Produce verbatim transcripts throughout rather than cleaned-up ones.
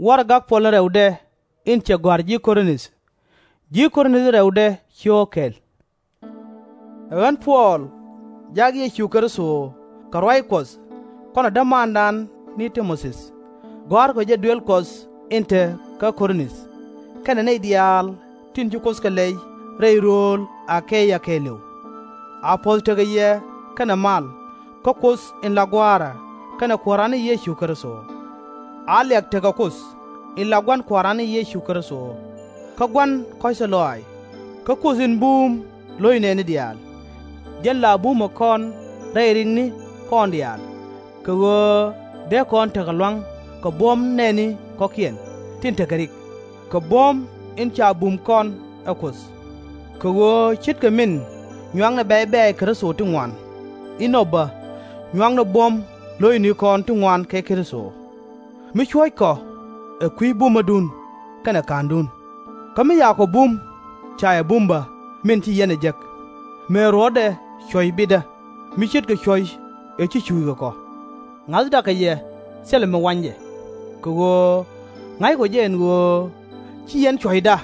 Warɛgak puɔl in rɛwdɛ in cɛ gɔ̱a̱r ji̱ Kor-nith. Ji̱ Kor-nith in rɛwdɛ cio̱o̱k kɛl. Ɛ ɣän Puɔl, jak Yecu Kritho kɛ ruac Kuɔth, kɔnɛ dämaandan ni Ti-mo-thi, gɔ̱a̱rkɔ jɛ duël Kuɔth in te kä Kor-nith, kɛnɛ nɛy diaal tin ci Kuoth kɛ lɛy rɛy rööl A-ke-ya kɛɛliw. A puɔ̱th tekɛ yɛ kɛnɛ mal kä Kuoth in la Gua̱a̱ra kɛnɛ Kuääran ni Yecu Kritho. A liak tekɛ Kuoth in la Gua̱n Kuääran ni Yecu Kritho, kä Gua̱n kɔ̱c tɔ̱ lɔaac, kä Kuoth in buum lo̱c nɛɛni diaal. Jɛn la bumɛ kɔn rɛy rikni kɔn diaal, kɛ ɣöö dee kɔn tekɛ lua̱ŋ kɛ buɔ̱m nɛɛni kɔ̱kiɛn tin tekɛ rik, kɛ buɔ̱m in ca bum kɔn ɛ Kuoth. Kɛ ɣöö ce̱tkɛ min nyuaknɛ bɛ̈ɛ̈c bɛ̈ɛ̈c Kritho ti ŋuan, inɔ bä nyuaknɛ buɔ̱m lo̱cnikɔn ti ŋuan kɛ Kritho, mi cuɔ̱ckɔ ɛ kui̱ bumädun kɛnɛ ka̱ndun. Kä mi yakɔ bum, ca yɛ bum bä min ci yɛn ɛ jek, mëë ruɔ̱tdɛ cuɔ̱c bitdä mi ce̱tkɛ cuɔ̱c ëë ci cuuc kɛ kɔ. Ŋa̱thdä kɛ yɛ thilɛ mi wany jɛ, kɛ ɣöö ŋa̱ckɔ jɛ ɛn ɣöö /ci yɛn cuɔ̱cda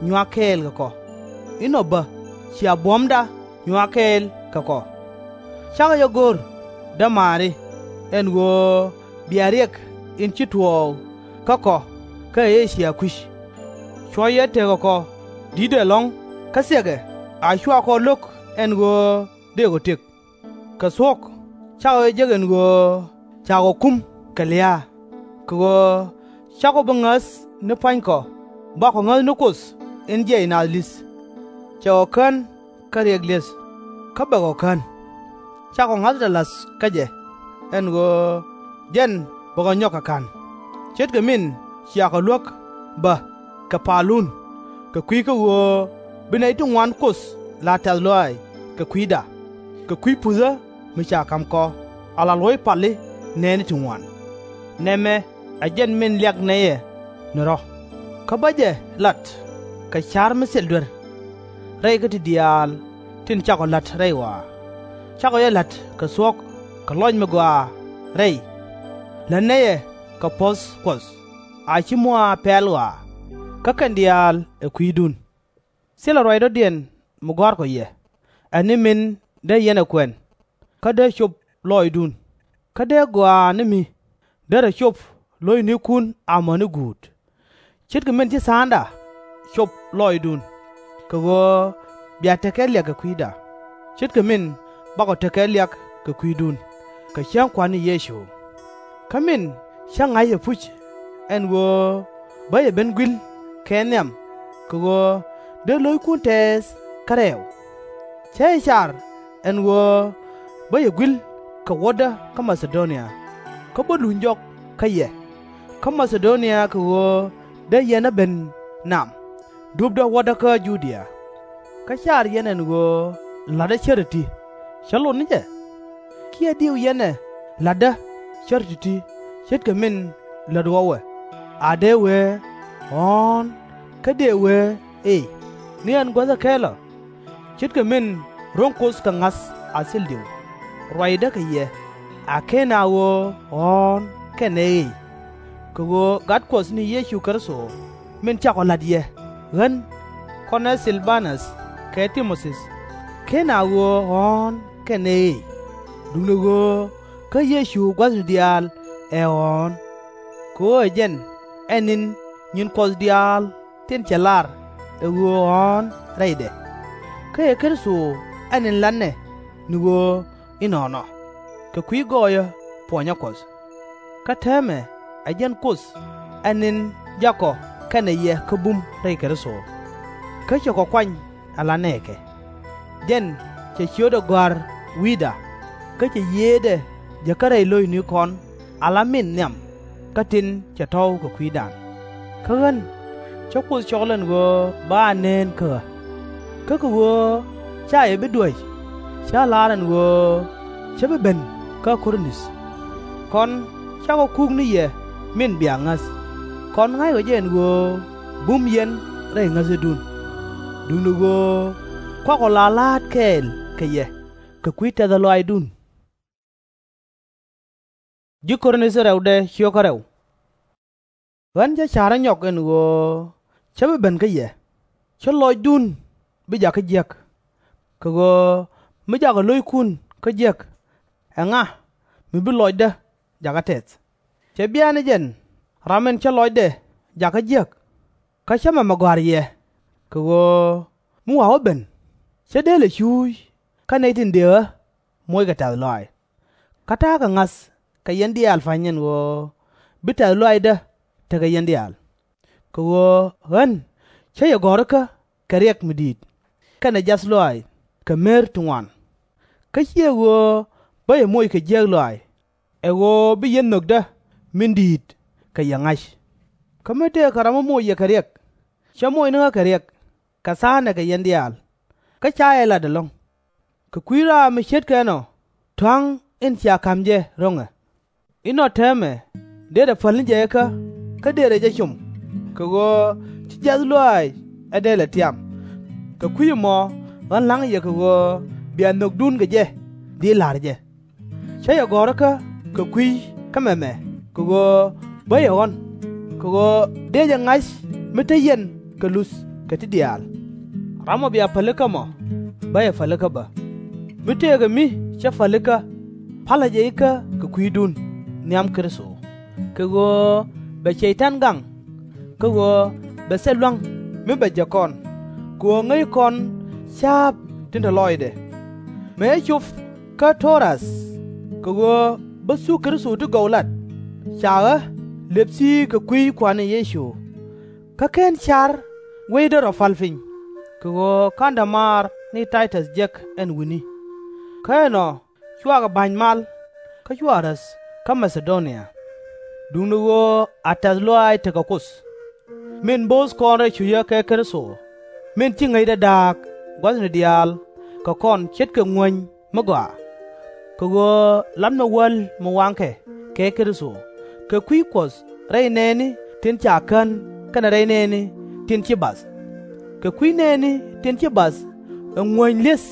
nyuak kɛɛl kɛ kɔ, inɔ bä cia buɔ̱mda nyuak kɛɛl kɛ kɔ. Cakɔ jɛ go̱r, dämaari, ɛn ɣöö bia riɛk in ci tuɔɔk kä kɔ kä A-cia kui̱c. Cuɔ̱c ëë tekɛ kɔ di̱tdɛ ɛlɔ̱ŋ, kä thiɛkɛ a /cua kɔ lo̱k ɛn ɣöö dëëkɔ tëk. Kɛ thuɔ̱k, cakɔ jɛ jek ɛn ɣöö cakɔ kum kɛ lia̱a̱, kɛ ɣöö /cakɔ bi ŋäth ni pua̱nykɔ, bakɔ ŋäth ni Kuoth in jiɛc naath li̱th. Cɛ kɔ kän kä riɛk li̱eth, kä bɛ kɔ kän. Cakɔ ŋa̱thdɛ la̱th kä jɛ, ɛn ɣöö jɛn bɛ kɔ nyɔk kɛ ka̱n, ce̱tkɛ min cia kɔ luäk bä kɛ palun, kɛ kui̱ kä ɣöö bi nɛy ti ŋuan Kuoth la tɛ̈th lɔaac kɛ kui̱da, kɛ kui̱ puthä mi ca ka̱m kɔ, ala luɔ̱c pali nɛɛni ti ŋuan. Nɛmɛ ɛ jɛn min liak nɛy ɛ ni rɔ̱, kä bä jɛ lat kɛ ca̱r mi thil duer, rɛy kä ti diaal tin cakɔ la̱t rɛy ɣɔaa. Cakɔ jɛ la̱t kɛ thuɔ̱k kɛ lɔc mi gɔaa rɛy. Lät nɛy ɛ kɛ puɔ̱th Kuɔth, a /ci muɔaa pɛ̈ɛ̈l ɣɔaa, kä kɛn diaal ɛ kui̱dun. Thilɛ ruac dɔ̱diɛn mi gɔ̱a̱rkɔ yɛ, ɛ ni min dee yɛn ɛ kuɛn, kä dee cop lɔɔcdun, kä dee gɔaa ni mi derɛ cop lo̱cnikun amäni guut. Ce̱tkɛ min ci tha̱a̱ŋda cop lɔɔcdun, kɛ ɣöö bia te kɛ liak kɛ kui̱da, ce̱tkɛ min bakɔ te kɛ liak kɛ kui̱dun, kɛ cäŋ Kua̱r ni Yecu. Kä min cä ŋa̱c ɛpuc, ɛn ɣöö bä yɛ ben gui̱l kɛ nhiam, kɛ ɣöö dee lo̱ckun tɛɛth kä rɛɛw. Cä jɛ car ɛn ɣöö bä yɛ gui̱l kɛ wädä kä Ma-tha-do-nia, kä bä luny jɔk kä yɛ kä Ma-tha-do-nia, kɛ ɣöö dee yɛn ɛ ben nam, dupdä wädä kä Ju-dia. Kä car yɛn ɛn ɣöö la̱tdä cär ti̱ti̱, cä lot ni jɛ? Kiɛ diw yɛn ɛ la̱tdä cär ti̱ti̱, ce̱tkɛ min lät ɣɔw ɛ, a dee wee, Ɣɔ̱ɔ̱n, kä dëë wee, Ëëy, ni ɛn guäth ɛ kɛl ɔ? Ce̱tkɛ min ro̱ŋ Kuoth kɛ ŋa̱th a thil diw, ruacdä kɛ yɛ, a /ken a ɣöö Ɣɔ̱ɔ̱n kɛnɛ Ëëy. Kɛ ɣöö Gat Kuɔth ni Yecu Kritho min cakɔ la̱t yɛ, ɣän, kɔnɛ Thil-ba-näth kɛ Ti-mo-thi, /ken a ɣöö Ɣɔ̱ɔ̱n kɛnɛ Ëëy, duundɛ ɣöö kä Yecu gua̱thni diaal ɛ Ɣɔ̱ɔ̱n. Kɛ ɣöö ɛ jɛn ɛ ni̱n nyin Kuɔth diaal tin cɛ lar ɛ ɣöö Ɣɔ̱ɔ̱n rɛydɛ. Kä ɛ Kritho ɛ ni̱n la̱tnɛ ni ɣöö inɔnɔ, kɛ kui̱ gɔɔyä puɔnyä Kuɔth. Kä täämɛ ɛ jɛn Kuoth ɛ ni̱n jakɔ kɛnɛ yɛ kä bum rɛy Kritho, kä cɛ kɔ kuany ala nɛɛkɛ. Jɛn cɛ ciötdɛ gɔ̱a̱r wi̱i̱da, kä cɛ yiëëdɛ jäkä rɛy lo̱cnikɔn ala min nhiam kä tin cɛ tɔ̱w kɛ kui̱dan. Kä ɣän, cä Kuoth cɔl ɛn ɣöö bä a neen kä ɣä. Kä kɛ ɣöö /ca yɛ bi duäc, cä la̱r ɛn ɣöö cä bi ben kä Kor-nith. Kɔn cakɔ kuk ni yɛ min bia ŋäth, kɔn ŋa̱ckɔ jɛ ɛn ɣöö bum yɛn rɛy ŋäthdun, duundɛ ɣöö kuakɔ la la̱a̱t kɛɛl kɛ yɛ kɛ kui̱ tɛ̈th lɔaacdun. Ji̱ Kor-nith in rɛwdɛ cio̱kä rɛw. Ɣän cä ca̱r ɛ nyɔk ɛn ɣöö cä bi ben kä yɛ, /cä lɔcdun bi jakä jiäk. Kɛ ɣöö mi jakɔ lo̱ckun kä jiäk, ɛŋa mi bi lɔcdä jakä tɛth? /Cɛ bia ni jɛn ram in cä lɔcdɛ jakä jiäk? Kä cä mɛmɛ gɔ̱a̱r yɛ, kɛ ɣöö mi wa̱a̱ wä ben, cä dëëlɛ cuuc kä nɛy tin dëë ɣä moc kɛ tɛ̈th lɔaac. Kä ta̱a̱ kɛ ŋa̱th kɛ yɛn diaal pa̱ny ɛn ɣöö bi tɛ̈th lɔaacdä tekɛ yɛn diaal. Kɛ ɣöö ɣän cä yɛ gɔ̱rikä kɛ riɛk mi di̱i̱t kɛnɛ jiath lɔaac kɛ mer ti ŋuan. Kä /ciɛ ɣöö bä yɛ moc kɛ jiäk lɔaac, ɛ ɣöö bi yɛn nhökdä min di̱i̱t kɛ yɛ ŋa̱c. Kä mi tëëkɛ ram mi moc yɛ kɛ riɛk, cä moc ni ɣä kɛ riɛk, kɛ tha̱a̱ŋnɛ kɛ yɛn diaal, kä /ca yɛ lat ɛlɔ̱ŋ. Kɛ kui̱ raam mi ce̱tkɛ ɛnɔ, tɔ̱a̱ŋ in cia ka̱m jɛ ro̱ŋɛ. Inɔ täämɛ dërɛ päl ni jɛ ikä, kä dërɛ jɛ com, kɛ ɣöö ci jiath lɔaac ɛ dee lɛ tiam. Kɛ kui̱c ɛmɔ ɣän la̱ŋ yɛ kɛ ɣöö bia nhökdun kɛ jɛ dhil la̱r jɛ. Cä yɛ gɔ̱rikä kɛ kui̱ kä mɛmɛ, kɛ ɣöö bä yɛ ɣɔ̱n, kɛ ɣöö dëë jɛ ŋa̱c mi te yɛn kɛ luth kɛ ti diaal. Ram ɔ bia pälikä mɔ, bä yɛ pälikä bä. Mi tëëkɛ mi cä pälikä, pa̱lɛ jɛ ikä kɛ kui̱dun nhiam Kritho, kɛ ɣöö bɛ Cɛy-tan gaŋ, kä ɣöö bɛ thil lua̱ŋ mi bɛ jäk kɔn, kɛ ɣöö ŋäc kɔn ca̱a̱p tin te lɔcdɛ. Mëë cop kä Tro-as, kɛ ɣöö bä thuk Kritho ti gɔw lat, ca ɣä lëp thi̱i̱k kɛ kui̱ Kua̱r ni Yecu. Kä /ken car wecdä rɔ pa̱l piny, kɛ ɣöö /ka̱n dämaar ni Tay-täth jek ɛn wi̱ni. Kä ɛnɔ cuakɛ ba̱ny mal, kä cua räth kä Ma-tha-do-nia. Duundɛ ɣöö a tɛ̈th lɔaac tekɛ Kuoth, min bo̱o̱th kɔn rɛy cucä kɛ Kritho, min ci ŋäcdɛ da̱a̱k gua̱thni diaal kɛ kɔn ce̱tkɛ ŋuäny mi gɔaa. Kɛ ɣöö lamnɛ wäl mi waŋkɛ kɛ Kritho kɛ kui̱ Kuɔth rɛy nɛɛni tin ca kän kɛnɛ rɛy nɛɛni tin ci bath. Kɛ kui̱ nɛɛni tin ci bath ɛ ŋuäny li̱eth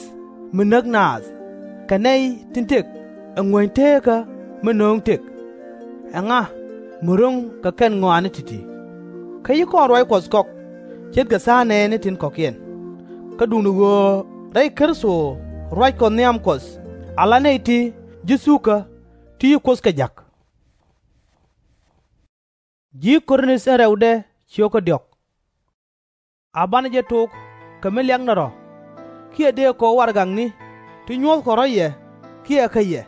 mi näk naath, kɛ nɛy tin tëk ɛ ŋuäny teekä mi nööŋ tëk. Ɛŋa mi ro̱ŋ kɛ kɛn ŋɔaani ti̱ti̱? Kä ci kɔn ruac Kuɔth kɔk ce̱tkɛ tha̱a̱ŋ nɛɛni tin kɔ̱kiɛn. Kä duundɛ ɣöö rɛy Kritho ruac Kuɔth nhiam Kuɔth ala nɛy ti ji̱ thukä ti ci Kuoth kɛ ja̱k. A banɛ jɛ tok kɛ mi liaknɛ rɔ̱, kiɛ dëë kɔ warɛgakni ti nyuɔ̱thkɔ rɔ̱ yɛ kiɛ kä yɛ,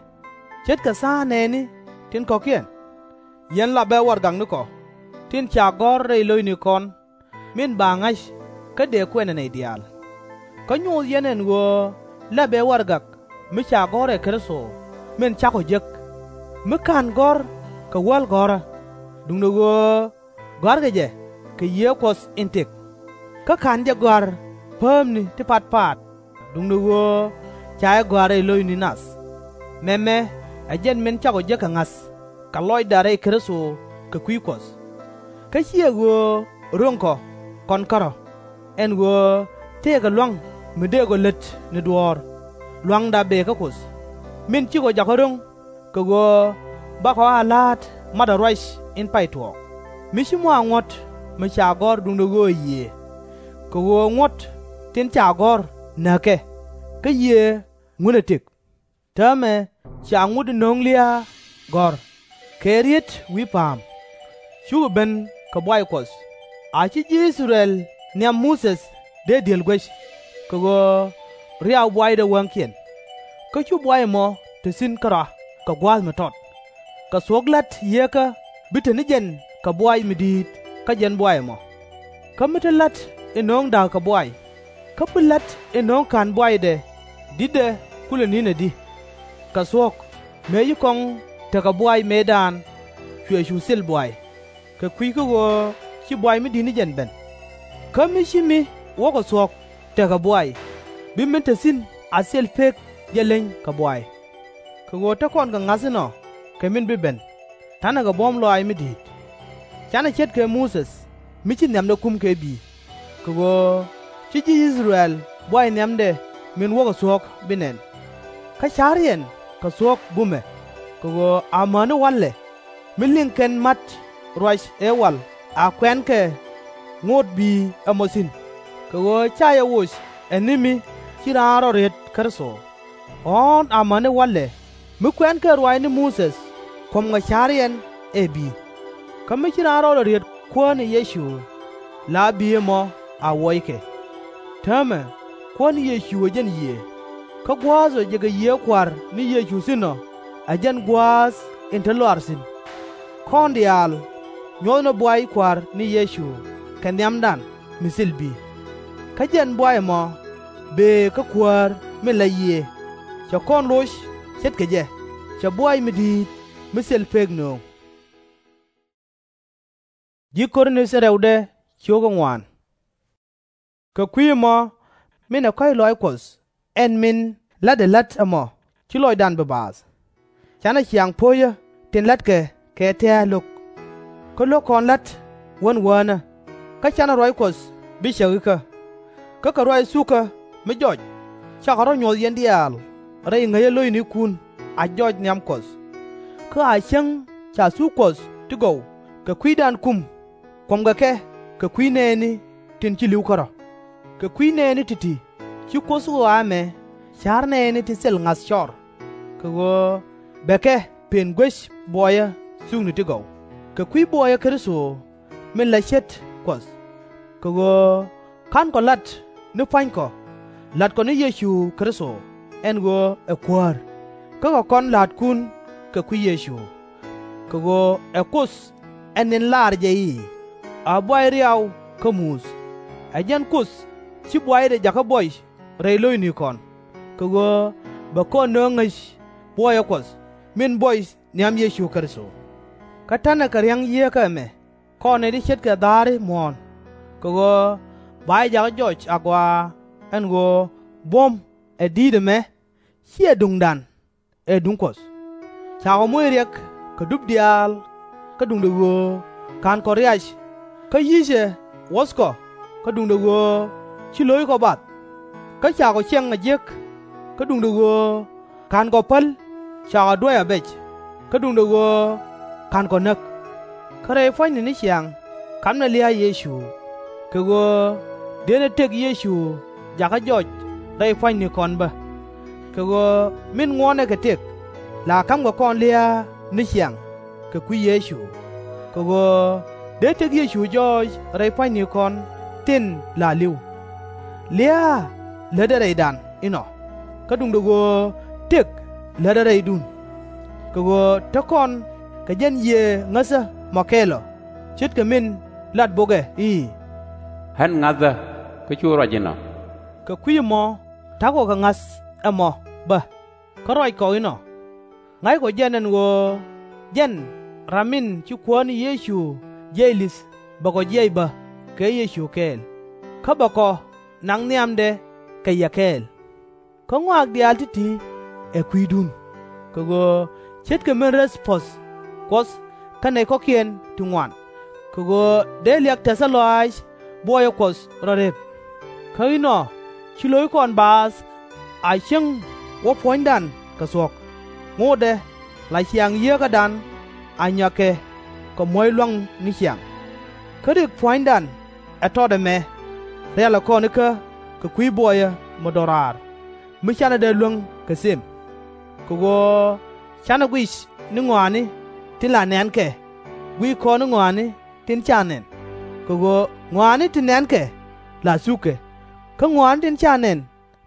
ce̱tkɛ tha̱a̱ŋ nɛɛni tin kɔ̱kiɛn. Yɛn lapɛ warɛgaknikɔ tin ca gɔ̱r rɛy lo̱cnikɔn, min ba ŋa̱c kä dëë kuɛnɛ nɛy diaal. Kä nyoth yɛn ɛn ɣöö lapɛ warɛgak mi ca gɔ̱r ɛ Kritho, min cakɔ jek, mi /ka̱n gɔ̱r kɛ wäl gɔ̱rä, duundɛ ɣöö gɔ̱a̱rkɛ jɛ kɛ Yiëë Kuɔth in tëk. Kä /ka̱n jɛ gɔ̱a̱r päämni ti patpat, duundɛ ɣöö ca jɛ gɔ̱a̱r rɛy lo̱cni nath. Mɛmɛ ɛ jɛn min cakɔ jek kɛ ŋa̱th kɛ lɔcda rɛy Kritho kɛ kui̱ Kuɔth. Kä /ciɛ ɣöö ro̱ŋkɔ kɔn kärɔ̱, ɛn ɣöö tëëkɛ lua̱ŋ mi dëëkɔ lät ni duɔ̱ɔ̱r, lua̱ŋda bëë kä Kuoth, min cikɔ jakä ro̱ŋ, kɛ ɣöö bakɔ a la̱a̱t matdä ruac in pay tuɔɔk, mi ci mɔ a ŋuɔ̱t mi ca gɔ̱r duundɛ ɣöö ɛ Yiëë. Kɛ ɣöö ŋuɔ̱t tin ca gɔ̱r näkɛ, kä Yiëë ŋunɛ tëk. Täämɛ cia ŋut in nöŋ lia̱a̱ gɔ̱r kɛ riet wi̱i̱ pa̱a̱m, cukɛ ben kɛ buay Kuɔth, a ci ji̱ I-thɛ-rɛl nhiam Muthɛ dee di̱el guec, kɛ ɣöö riaw buaydɛ wäŋkiɛn. Kä cu buay ɛmɔ te thi̱n kärɔa kɛ gua̱a̱th mi tɔt, kɛ thuɔ̱k la̱t Yieekä bi te ni jɛn kɛ buay mi di̱i̱t kä jɛn buay ɛmɔ. Kä mi te la̱t in nöŋ da̱k kɛ buay, kä bi la̱t in nöŋ ka̱n buaydɛ di̱tdɛ kulɛ ni̱n adi? Kɛ thuɔ̱k, mëë ci kɔŋ tekɛ buay mëëdan, cuɛ cu thil buay, kɛ kui̱ kä ɣöö ci buay mi di̱t ni jɛn ben. Kä mi ci mi wäkɔ thuɔ̱k tekɛ buay, bi min te thi̱n a thil pek jɛ leny kɛ buay. Kɛ ɣöö te kɔn kɛ ŋa̱th inɔ kɛ min bi ben, ta̱nɛ kɛ buɔ̱m lɔaac mi di̱i̱t. Canɛ ce̱tkɛ Muthɛ mi ci nhiamdɛ kum kɛ bi̱i̱, kɛ ɣöö ci ji̱ I-thɛ-rɛl buay nhiamdɛ min wäkɔ thuɔ̱k bi nɛn. Kä ca̱r yɛn kɛ thuɔ̱k bumɛ, kɛ ɣöö amäni walɛ mi liŋ kɛn ma̱t ruac ëë wal a kuɛ̈nkɛ ŋot bi̱i̱ ɛmɔ thi̱n, kɛ ɣöö /ca yɛ woc ɛ ni mi ci raan rɔ riet Kritho. Ɣɔ̱ɔ̱n amäni walɛ mi kuɛ̈nkɛ ruaacni Muthɛ, kuɔ̱mkɛ ca̱riɛn ɛ bi̱i̱. Kä mi ci raan rɔɔdɛ riet Kuäär ni Yecu, la bi̱i̱ ɛmɔ a wuɔckɛ. Täämɛ, Kuäär ni Yecu ɛ jɛn yiëë, kä gua̱a̱th ɔ jɛ kɛ Yiëë Kua̱r ni Yecu thi̱n ɔ ɛ jɛn gua̱a̱th in te lɔaac thi̱n. Kɔn diaal nyuɔ̱thni buay Kua̱r ni Yecu kɛ nhiamdan mi thil bi̱i̱. Kä jɛn buay ɛmɔ bëë kä Kuäär min la yiëë. Cɛ kɔn loc ce̱tkɛ jɛ, cɛ buay mi di̱i̱t mi thil pek nööŋ. Kɛ kui̱ ɛmɔ, min ɛ kɔ̱a̱c lɔaac Kuɔth ɛn min la̱tdɛ la̱t ɛmɔ, /ci lɔcdan bi baath. Canɛ ciaŋ po̱cä tin la̱tkɛ kɛ tɛ̱̈ɛ̱̈ lo̱k, kä lo̱k kɔn la̱t Wän Wäänä, kä canɛ ruac Kuɔth bi cäk ikä. Kä kɛ ruac thukä mi jɔc, cakɔ rɔ̱ nyuɔ̱th yɛn diaal rɛy ŋäcä lo̱cnikun a jɔc nhiam Kuɔth. Kä a cäŋ ca thuk Kuɔth ti gɔw kɛ kui̱dan kum, kuɔ̱mkɛ kɛ kɛ kui̱ nɛɛni tin ci li̱w kärɔ̱. Kɛ kui̱ nɛɛni ti̱ti̱ ci Kuoth ɣɔaa ɛmɛ ca̱r nɛɛni ti thil ŋa̱th cɔr, kɛ ɣöö bɛ kɛ pën guec buɔyä thukni ti gɔw, kɛ kui̱ buɔyä Kritho min la ce̱t Kuɔth. Kɛ ɣöö /ka̱nkɔ la̱t ni pua̱nykɔ, la̱tkɔ ni Yecu Kritho ɛn ɣöö ɛ Kuäär, kä kɛ kɔn la̱a̱tkun kɛ kui̱ Yecu. Kɛ ɣöö ɛ Kuoth ɛn in laar jɛ i̱, A buay riaw kä muth. Ɛ jɛn Kuoth ci buaydɛ jakä buɔy rɛy lo̱cnikɔn, kɛ ɣöö bɛ kɔn nöŋ ŋäc buɔyä Kuɔth min buɔy nhiam Yecu Kritho. Kä ta̱nɛ kɛ riäŋ Yieekä ɛmɛ kɔn nɛy ti ce̱tkɛ dha̱a̱ri muɔ̱ɔ̱n, kɛ ɣöö ba jɛ jakä jɔc agɔaa ɛn ɣöö buɔ̱m ɛ di̱i̱t ɛmɛ /ciɛ duŋdan, ɛ duŋ Kuɔth. Cakɔ moc riɛk kɛ dup diaal kä duundɛ ɣöö /ka̱nkɔ riac, kä yi̱cɛ wuɔ̱thkɔ kä duundɛ ɣöö /ci lo̱ckɔ bath. Kä cakɔ ciɛŋ a jiäk kä duundɛ ɣöö /ka̱nkɔ päl cakɔ duäc a bɛc, kä duundɛ ɣöö /ka̱nkɔ näk. Kä rɛy pua̱nyni ni ciaŋ kamnɛ lia̱a̱ Yecu, kɛ ɣöö dënɛ tëk Yecu jakä jɔc rɛy pua̱nynikɔn bä. Kɛ ɣöö min ŋuɔ̱tnɛ kɛ tëk, la ka̱mkɛ kɔn lia̱a̱ ni ciaŋ kɛ kui̱ Yecu, kɛ ɣöö dee tëk Yecu jɔɔc rɛy pua̱nynikɔn tin la li̱w. Lia̱a̱ lätdɛ rɛydan inɔ, kä duundɛ ɣöö tëk lätdɛ rɛydun. Kɛ ɣöö te kɔn kɛ jɛn yiëë ŋäthä mɔ kɛl ɔ, ce̱tkɛ min lat bok ɛ i̱, Ɣän ŋa̱thä, kä cu ruac inɔ. Kɛ kui̱ ɛmɔ ta̱kɔ kɛ ŋa̱th ɛmɔ bä, kä ruackɔ inɔ. Ŋa̱ckɔ jɛn ɛn ɣöö jɛn ram min ci Kuäär ni Yecu jiɛc li̱th bɛ kɔ jiɛc bä kɛ Yecu kɛɛl, kä bɛ kɔ naŋ nhiamdɛ kɛ yɛ kɛɛl. Kä ŋɔak diaal ti̱ti̱ ɛ kui̱dun, kɛ ɣöö ce̱tkɛ min räth puɔ̱th Kuɔth kä nɛy kɔ̱kiɛn ti ŋuan, kɛ ɣöö dee liak tɛthä lɔaac buɔyä Kuɔth rɔ rep. Kä inɔ ci lo̱ckɔn baath a cieŋ wä puɔ̱nydan kɛ thuɔ̱k, ŋotdɛ la ciaŋ Yieekädan a nyɔa̱kɛ kɛ muɔ̱c lua̱ŋ ni ciaŋ. Kä rik pua̱nydan ɛ tɔt ɛmɛ, rialɛ kɔn ikä kɛ kui̱ buɔyä mi do̱raar, mi /canɛ dee luäŋ kɛ them. Kɛ ɣöö /canɛ guic ni ŋɔaani tin la nɛ̈nkɛ, guic kɔn ni ŋɔaani tin /ca nɛn, kɛ ɣöö ŋɔaani tin nɛ̈nkɛ la thukkɛ, kä ŋɔaani tin /ca nɛn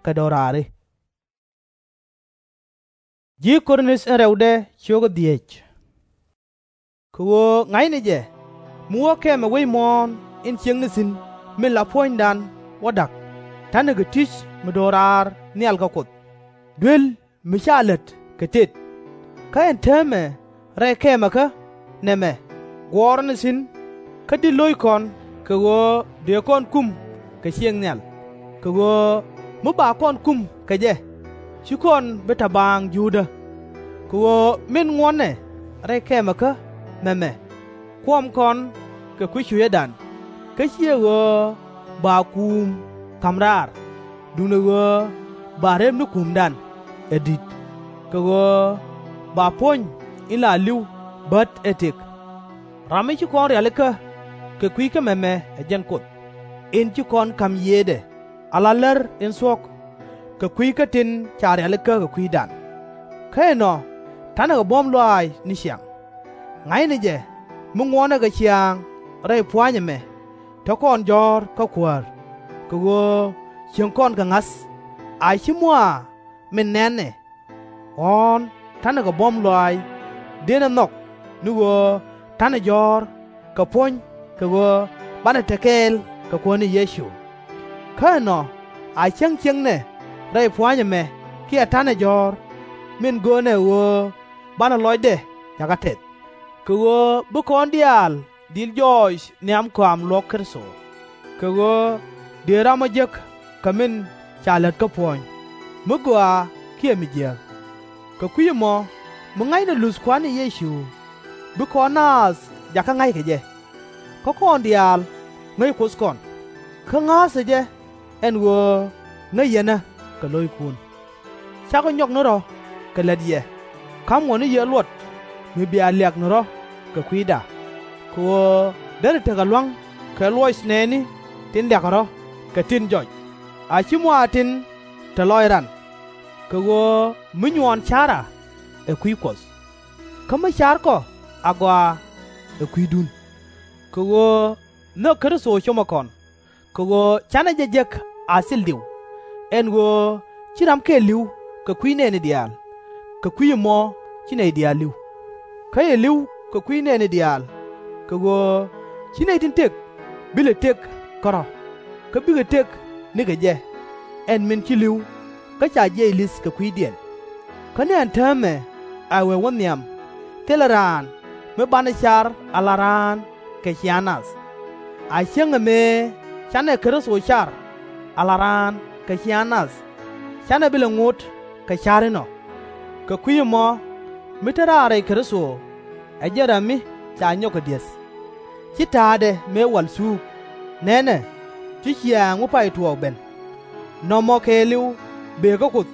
kɛ do̱raari. Kɛ ɣöö ŋa̱cnɛ jɛ, mi wä kɛmɛ wec muɔ̱ɔ̱n in ciëŋni thi̱n min la puɔ̱nydan wä da̱k, ta̱nɛ kɛ ti̱c mi do̱raar nhial kä Kuoth, duel mi /ca lät kɛ tet. Kä ɛn täämɛ rɛy kɛmɛkä nɛmɛ guɔ̱ɔ̱rä ni thi̱n, kä di̱t lo̱ckɔn kɛ ɣöö dëë kɔn kum kɛ ciëŋ nhial, kɛ ɣöö mi ba kɔn kum kɛ jɛ, /ci kɔn bi ta̱baaŋ juudä. Kɛ ɣöö min ŋuɔ̱tnɛ rɛy kɛmɛkä nɛmɛ kuɔm kɔn kɛ kui̱ cucädan, kä /ciɛ ɣöö ba kuum ka̱m raar, duundɛ ɣöö ba rep ni kuumdan ɛ di̱t, kɛ ɣöö ba puɔ̱ny in la li̱w bät ɛ tëk. Ram mi ci kɔn rialikä kɛ kui̱ kä mɛmɛ ɛ jɛn Kuoth, in ci kɔn ka̱m yiëëdɛ ala lär in thuɔ̱k, kɛ kui̱ kä tin ca rialikä kɛ kui̱dan. Kä ɛnɔ ta̱nɛ kɛ buɔ̱m lɔaac ni ciaŋ. Ŋa̱cnɛ jɛ mi ŋuɔnɛ kɛ ciaŋ rɛy pua̱a̱ny ɛmɛ te kɔn jɔ̱ɔ̱r kä Kuäär, kɛ ɣöö cieŋ kɔn kɛ ŋa̱th, a /ci mɔaa min nɛn ɛ. Ɣɔ̱ɔ̱n ta̱nɛ kɛ buɔ̱m lɔaac dënɛ nhɔk, ni ɣöö ta̱nɛ jɔ̱ɔ̱r kɛ puɔ̱ny kɛ ɣöö banɛ te kɛɛl kɛ Kuäär ni Yecu. Kä ɛnɔ a cäŋ ciëŋnɛ rɛy pua̱a̱ny ɛmɛ kiɛ ta̱nɛ jɔ̱ɔ̱r, min göönɛ ɛ ɣöö banɛ lɔcdɛ jakä tɛth, kɛ ɣöö bi kɔn diaal di̱l jɔɔc nhiam kɔam luɔ̱k Kritho. Kɛ ɣöö dëë ramɔ jek kɛ min ca lät kä puɔ̱ny, mi gɔaa kiɛ mi jiääk. Kɛ kui̱ ɛmɔ mi ŋa̱cnɛ luth Kua̱r ni Yecu, bi kɔn naath jakä ŋa̱c kɛ jɛ. Kä kɔn diaal ŋäc Kuoth kɔn, kä ŋa̱a̱thɛ jɛ ɛn ɣöö ŋäc yɛnä kɛ lo̱ckun. Cakɔ nyɔk ni rɔ̱ kɛ lät yɛ, ka̱mɔ ni yɛ luɔt mi bia liak ni rɔ̱ kɛ kui̱da, kɛ ɣöö derɛ tekɛ lua̱ŋ kɛ luɔc nɛɛni tin liakɛ rɔ̱ kɛ tin jɔc, a /ci mɔaa tin te lɔc ran. Kɛ ɣöö mi nyuɔɔn ca̱ra ɛ kui̱ Kuɔth, kä mi ca̱rkɔ agɔaa ɛ kui̱dun. Kɛ ɣöö nhök Kritho comɛ kɔn, kɛ ɣöö canɛ jɛ jek a thil diw, ɛn ɣöö ci ram kɛl li̱w kɛ kui̱ nɛɛni diaal, kɛ kui̱ ɛmɔ ci nɛy diaal li̱w. Kä cɛ li̱w kɛ kui̱ nɛɛni diaal, kɛ ɣöö /ci nɛy tin tëk bi lɛ tëk kärɔ̱, kä bikɛ tëk nikɛ jɛ, ɛn min ci li̱w kä ca jiɛc li̱th kɛ kui̱diɛn. Kä ni ɛn täämɛ a wee wä nhiam, thilɛ raan mi banɛ car ala raan kɛ ciaŋ nath. A cäŋ ɛ mëë canɛ Kritho car ala raan kɛ ciaŋ nath, canɛ bi lɛ ŋot kɛ ca̱r inɔ. Kɛ kui̱ ɛmɔ mi te raar rɛy Kritho, ɛ jɛn ram mi ca nyɔk kɛ di̱eth, /ci ta̱a̱dɛ mëë wal thuuk. Nɛnɛ, ci ciaŋ mi pay tuɔɔk ben. Nɔmɔ kɛɛliw bëë kä Kuoth,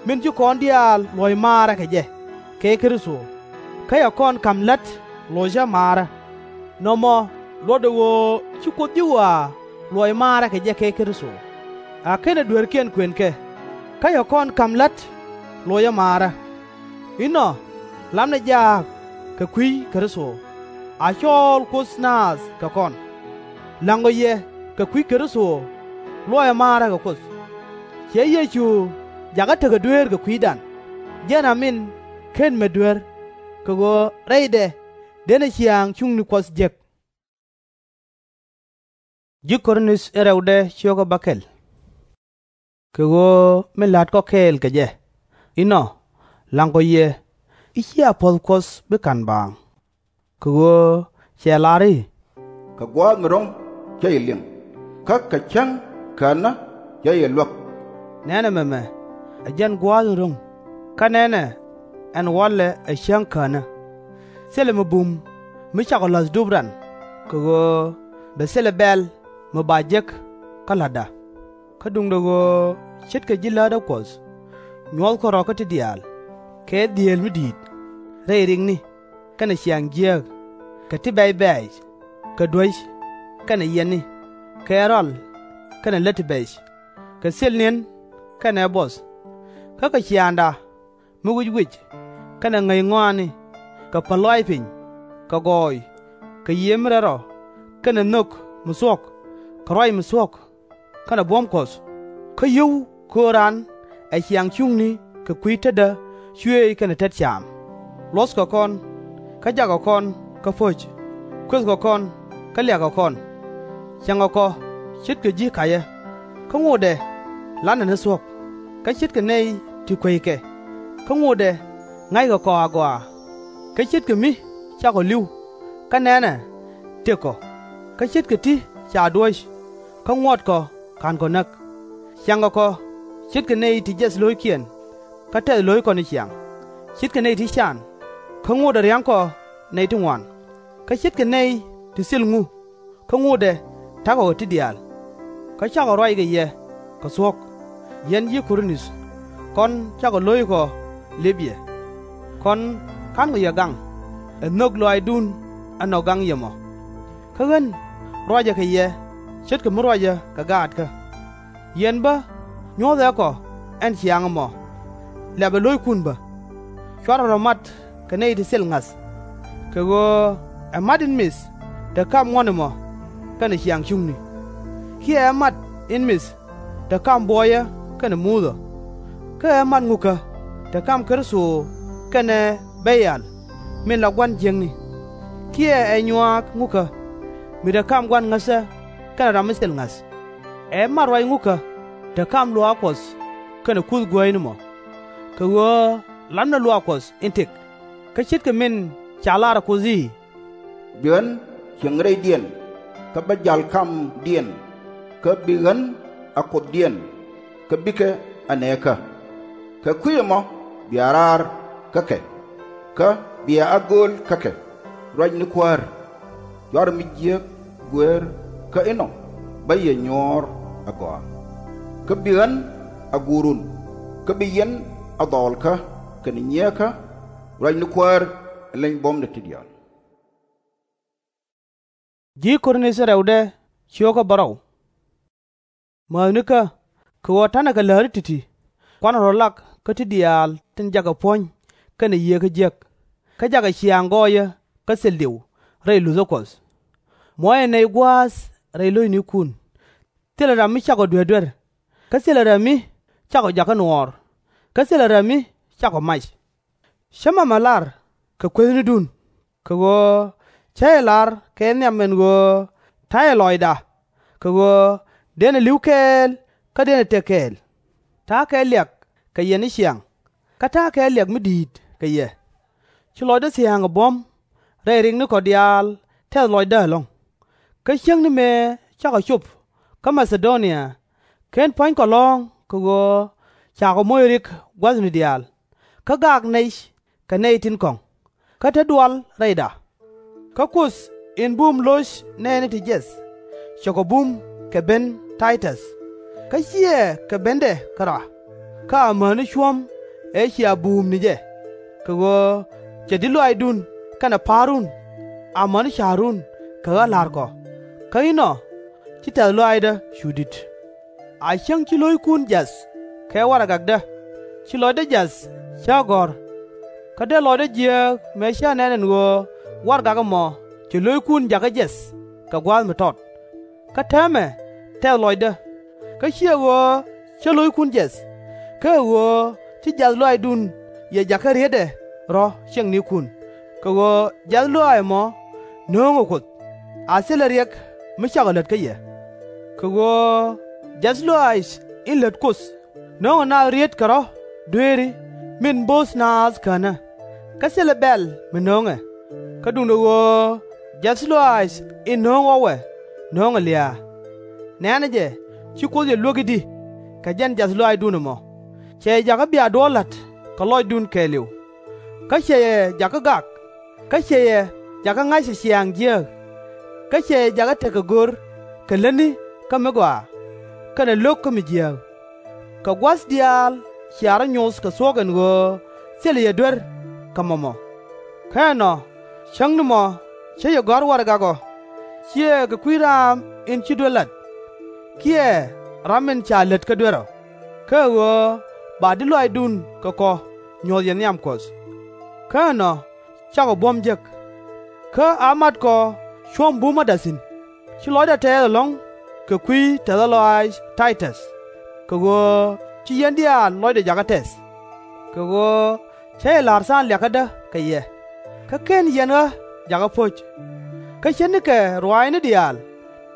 min ci kɔn diaal luɔ̱c maarä kɛ jɛ kɛ Kritho, kä cɛ kɔn ka̱m la̱t locä maarä. Nɔmɔ luɔtdɛ ɣöö ci Kuoth ji̱ ɣɔaa luɔc maarä kɛ jɛ kɛ Kritho, a /kenɛ dueerkiɛn kuënkɛ, kä cɛ kɔn ka̱m la̱t locä maarä. Inɔ lamnɛ jaak kɛ kui̱ Kritho, a cɔɔl Kuoth naath kɛ kɔn. La̱ŋkɔ yɛ kɛ kui̱ Kritho luɔcɛ maarä kɛ Kuoth. Cɛ Yecu jakä tekɛ dueer kɛ kui̱dan, jɛn ram in /ken met duer, kɛ ɣöö rɛydɛ dënɛ ciaŋ cuŋni Kuɔth jek. Kɛ ɣöö min la̱tkɔ kɛɛl kɛ jɛ, inɔ la̱ŋkɔ yɛ i̱ /cia puɔ̱th Kuɔth bi ka̱n baaŋ. Kɛ ɣöö cɛ lar i̱, Kɛ gua̱a̱th mi ro̱ŋ cä yɛ liŋ, kä kɛ cäŋ känä cä yɛ luäk. Nɛnɛ mɛmɛ ɛ jɛn gua̱a̱th in ro̱ŋ, kä nɛnɛ ɛn walɛ ɛ cäŋ känä. Thilɛ mi bum mi cakɔ la̱th dup ran, kɛ ɣöö bɛ thilɛ bɛ̈l mi ba jek kä la̱tda. Kä duundɛ ɣöö ce̱tkɛ ji̱ Läät ɛ Kuɔth, nyuɔ̱thkɔ rɔ̱ kä ti diaal, kɛ dhieel mi di̱i̱t, rɛy rikni kɛnɛ ciaŋ jiääk, kɛ ti bɛ̈c bɛ̈ɛ̈c, kɛ duäc kɛnɛ yiɛtni, kɛ rɔal kɛnɛ lät ti bɛ̈c, kɛ thil ni̱en kɛnɛ buɔth. Kä kɛ ciaaŋda mi wic wic, kɛnɛ ŋäc ŋɔaani, kɛ päl lɔaac piny, kɛ gɔɔy, kɛ yiëë mi rɛl rɔ, kɛnɛ nhök mi thuɔ̱k, kɛ ruac mi thuɔ̱k, kɛnɛ buɔ̱m Kuɔth. Kä yio̱w kööran ɛ ciaŋ cuŋni kɛ kui̱ tetdä cuëëc kɛnɛ tet caam. Luɔ̱thkɛ kɔn, kä jakkɛ kɔn kä po̱c, kuëthkɛ kɔn, kä liakkɛ kɔn. Cieŋkɛ kɔ ce̱tkɛ ji̱ ka̱yä, kä ŋotdɛ la̱tnɛ ni thuɔ̱k. Kä ce̱tkɛ nɛy ti kueckɛ, kä ŋotdɛ ŋa̱ckɛ kɔ agɔaa. Kä ce̱tkɛ mi cakɔ li̱w, kä nɛnɛ tëk kɔ. Kä ce̱tkɛ ti ca duɔ̱ɔ̱c, kä ŋuɔ̱tkɔ /ka̱nkɔ näk. Cieŋkɛ kɔ ce̱tkɛ nɛy ti jiɛth lo̱ckiɛn, kä tɛth lo̱ckɔ ni ciaŋ. Ce̱tkɛ nɛy ti can, kä ŋotdɛ ria̱ŋkɔ nɛy ti ŋuan. Kä ce̱tkɛ nɛy ti thil ŋu, kä ŋotdɛ ta̱kɔ kɛ ti diaal. Kä cakɔ ruac kɛ yɛ kɛ thuɔ̱k, yɛn ji̱ Kor-inth, kɔn cakɔ lo̱ckɔ lëp yɛ. Kɔn /ka̱nkɔ yɛ gaŋ, ɛ nhök lɔaacdun ɛ nɔ gaŋ yɛ mɔ. Kä ɣän ruacɛ kɛ yɛ ce̱tkɛ mi ruacɛ kɛ gaatkä. Yɛn bä nyuɔ̱thɛ kɔ ɛn ciaŋ ɛmɔ, lɛpɛ lo̱ckun bä. /Cuarɛ rɔ̱ mat kɛ nɛy ti thil ŋa̱th. Kɛ ɣöö ɛ mat in mith te kam ŋuɔ̱t ɛmɔ kɛnɛ ciaŋ cuŋni, kiɛ ɛ mat in mith te kam buɔyä kɛnɛ Muthɛ. Kä ɛ mat ŋukä te kam Kritho kɛnɛ Bɛ̈lial min la gua̱n jiäkni, kiɛ ɛ nyuaak ŋukä mi te kam gua̱n ŋäthä kɛnɛ ram mi thil ŋa̱th. Ɛ mat ruac ŋukä te kam luaak Kuɔth kɛnɛ kuth guääyni mɔ. Kɛ ɣöö lapnɛ luaak Kuɔth in tëk, kä ce̱tkɛ min ca lar ɛ Kuoth i̱, Bi ɣän cieŋ rɛydiɛn, kä bä ja̱l kamdiɛn, kä bi ɣän a Kuothdiɛn, kä bikɛ a nɛɛkä. Kɛ kui̱ ɛmɔ bia raar kä kɛ, kä bia a gööl kä kɛ, ruac ni Kuäär. /Cuarɛ mi jiääk guëër, kä inɔ bä yɛ nyuɔɔr a gɔaa. Kä bi ɣän a guurun, kä bi yɛn a dhɔɔlkä kɛnɛ nyieekä, ruac ni Kuäär ɛ leny buɔ̱mdɛ ti diaal. Ji̱ Korinth in rɛwdɛ, ciökä bärɔw. Määthnikä, kɛ ɣöö ta̱nɛ kɛ läri ti̱ti̱, kuanɛ rɔ̱ lak kä ti diaal tin jakɛ puɔ̱ny kɛnɛ Yiëë kä jiäk, kä jakɛ ciaŋ gɔɔyä kä thil diw rɛy luthä Kuɔth. Muɔ̱cɛ nɛy gua̱a̱th rɛy lo̱cnikun. Thilɛ ram mi cakɔ duer duer, kä thilɛ ram mi cakɔ jakä nuɔɔr, kä thilɛ ram mi cakɔ mac. Cä mamɛ lar kɛ kuethnidun, kɛ ɣöö cä jɛ lar kɛ nhiam ɛn ɣöö ta̱yɛ lɔcda, kɛ ɣöö denɛ li̱w kɛɛl kä denɛ tëk kɛɛl. Ta̱a̱ kɛ liak kɛ yɛ ni ciaŋ, kä ta̱a̱ kɛ liak mi di̱i̱t kɛ yɛ. Ci lɔcdä thia̱a̱ŋ ɛ buɔ̱m rɛy riknikɔ diaal tɛth lɔcdä ɛlɔ̱ŋ. Kä cäŋ ni mëë cakɔ cop kä Ma-tha-do-nia, /ken pua̱nykɔ lɔ̱ɔ̱ŋ kɛ ɣöö cakɔ moc rik gua̱thni diaal, kä gak nɛy kɛ nɛy tin kɔ̱ŋ, kä te dual rɛyda. Kä Kuoth in bum lo̱c nɛɛni ti jiɛth, cɛ kɔ bum kɛ ben Tay-täth. Kä /ciɛ kɛ bendɛ kärɔa, kä amäni cuɔ̱m ëë cia buum ni jɛ, kɛ ɣöö cɛ di̱t lɔaacdun kɛnɛ pa̱a̱run amäni ca̱run kɛ ɣä la̱r kɔ, kä inɔ ci tɛ̈th lɔaacdä cu di̱t. A cäŋ ci lo̱ckun jiath kɛ warɛgakdä, ci lɔcdä jiath cä gɔ̱r. Kä dee lɔcdä jiääk mëë cä nɛn ɛn ɣöö warɛgak ɛmɔ cɛ lo̱ckun jakä jiɛth kɛ gua̱a̱th mi tɔt. Kä täämɛ tɛth lɔcdä, kä /ciɛ ɣöö cä lo̱ckun jiɛth, kä ɛ ɣöö ci jiath lɔaacdun yɛ jakä rietdɛ rɔ̱ ciɛŋnikun, kɛ ɣöö jiath lɔaac ɛmɔ no̱o̱ŋɛ Kuoth, a thilɛ riɛk mi cakɔ lät kä yɛ. Kɛ ɣöö jiath lɔaac in lät Kuoth no̱o̱ŋɛ naath rietkɛ rɔ̱ dueeri min bo̱o̱th naath känä, kä thilɛ bɛ̈l mi no̱o̱ŋɛ. Kä duundɛ ɣöö jiath lɔaac in no̱o̱ŋ ɣɔwɛ no̱o̱ŋɛ lia̱a̱. Nɛ̈nɛ jɛ, ci Kuoth yɛ luäk i̱di kɛ jɛn jiath lɔaacdun ɛmɔ? Cɛ yɛ jakä bia duɔ̱ɔ̱r la̱t kɛ lɔcdun kɛɛliw, kä cɛ yɛ jakä gak, kä cɛ yɛ jakä ŋa̱c ɛ ciaaŋ jiääk, kä cɛ yɛ jakä tekɛ go̱r kɛ lätni kä mi gɔaa, kɛnɛ lo̱k kä mi jiääk. Kɛ gua̱th diaal cia rɔ̱ nyoth kɛ thuɔ̱k ɛn ɣöö thilɛ yɛ duer kɛ mɔmɔ. Kä ɛnɔ, cäŋ ni mɔ cä yɛ gɔ̱a̱r warɛgak ɔ, /ciɛ kɛ kui̱ raam in ci duer lat, kiɛ ram in ca lät kä duer ɔ, kä ɛ ɣöö ba di̱t lɔaacdun kɛ kɔ nyuɔ̱th yɛ nhiam Kuɔth. Kä ɛnɔ cakɔ buɔ̱m jek. Kä a matkɔ cuɔ̱m bumäda thi̱n, ci lɔcdä tɛɛth ɛlɔ̱ŋ kɛ kui̱ tɛthä lɔaac Tay-täth, kɛ ɣöö ci yɛn diaal lɔcdɛ jakä tɛth. Kɛ ɣöö cä jɛ la̱r tha̱a̱ŋ liakädä kɛ yɛ, kä /ken yɛn ɣä jakä po̱c. Kä ce̱tnikɛ ruaacni diaal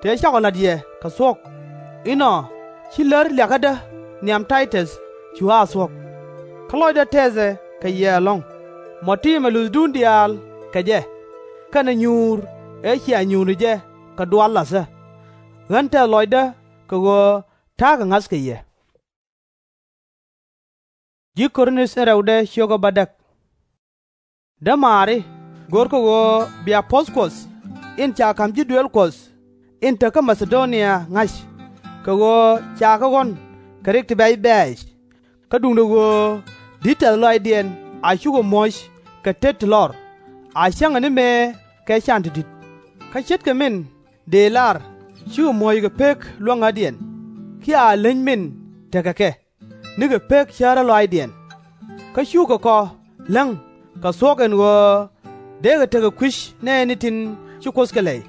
tëë cakɔ la̱t yɛ kɛ thuɔ̱k, inɔ ci lär liakädä nhiam Tay-täth cu a thuɔ̱k. Kä lɔcdä tɛthɛ kɛ yɛ ɛlɔ̱ŋ, mɔ tiimɛ luthdu diaal kɛ jɛ, kɛnɛ nyuur ëë cia nyuur ni jɛ kɛ dual la̱thä. Ɣän tɛth lɔcdä kɛ ɣöö ta̱a̱ kɛ ŋa̱th kɛ yɛ. Dämaari, görkɛ ɣöö bia puɔ̱th Kuɔth in ca ka̱m ji̱ duëël Kuɔth in te kä Ma-tha-do-nia ŋa̱c, kɛ ɣöö ca kɛ ɣɔ̱n kɛ rik ti bɛ̈c bɛ̈ɛ̈c. Kä duundɛ ɣöö di̱t tɛ̈th lɔaacdiɛn a cukɛ muɔ̱c kɛ tet ti lɔr, a cäŋɛ ni mëë kɛ can ti di̱t. Kä ce̱tkɛ min dëë lar cikɛ muɔ̱c kɛ pek luäŋädiɛn, kiɛ a leny min tekɛ kɛ nikɛ pek cärä lɔaacdiɛn. Kä cukɛ kɔ läŋ kɛ thuɔ̱k ɛn ɣöö dee kɛ tekɛ kui̱c nɛɛni tin ci Kuoth kɛ lɛy.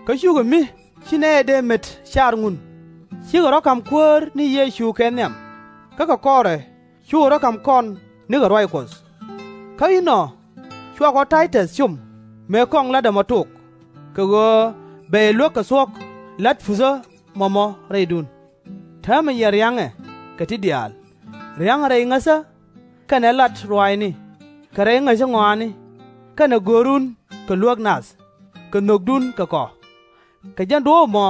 Kä cukɛ mi ci nɛy dee met car ŋun, cikɛ rɔ̱ ka̱m Kuäär ni Yecu kɛ nhiam, kä kɛ kɔrɛ cukɛ rɔ̱ ka̱m kɔn nikɛ ruac Kuɔth. Kä inɔ cua kɔ Tay-täth com mëë kɔŋ la̱t ɛmɔ tok, kɛ ɣöö bɛ yɛ luäk kɛ thuɔ̱k la̱t puthä mɔmɔ rɛydun. Täämɛ yɛn ria̱ŋɛ kɛ ti diaal, ria̱ŋɛ rɛy ŋäthä, kɛnɛ lat ruaacni, kɛ rɛy ŋäcä ŋɔaani, kɛnɛ görun kɛ luäk nath, kɛ nhökdun kɛ kɔ. Kɛ jɛn duɔ̱ɔ̱p ɛmɔ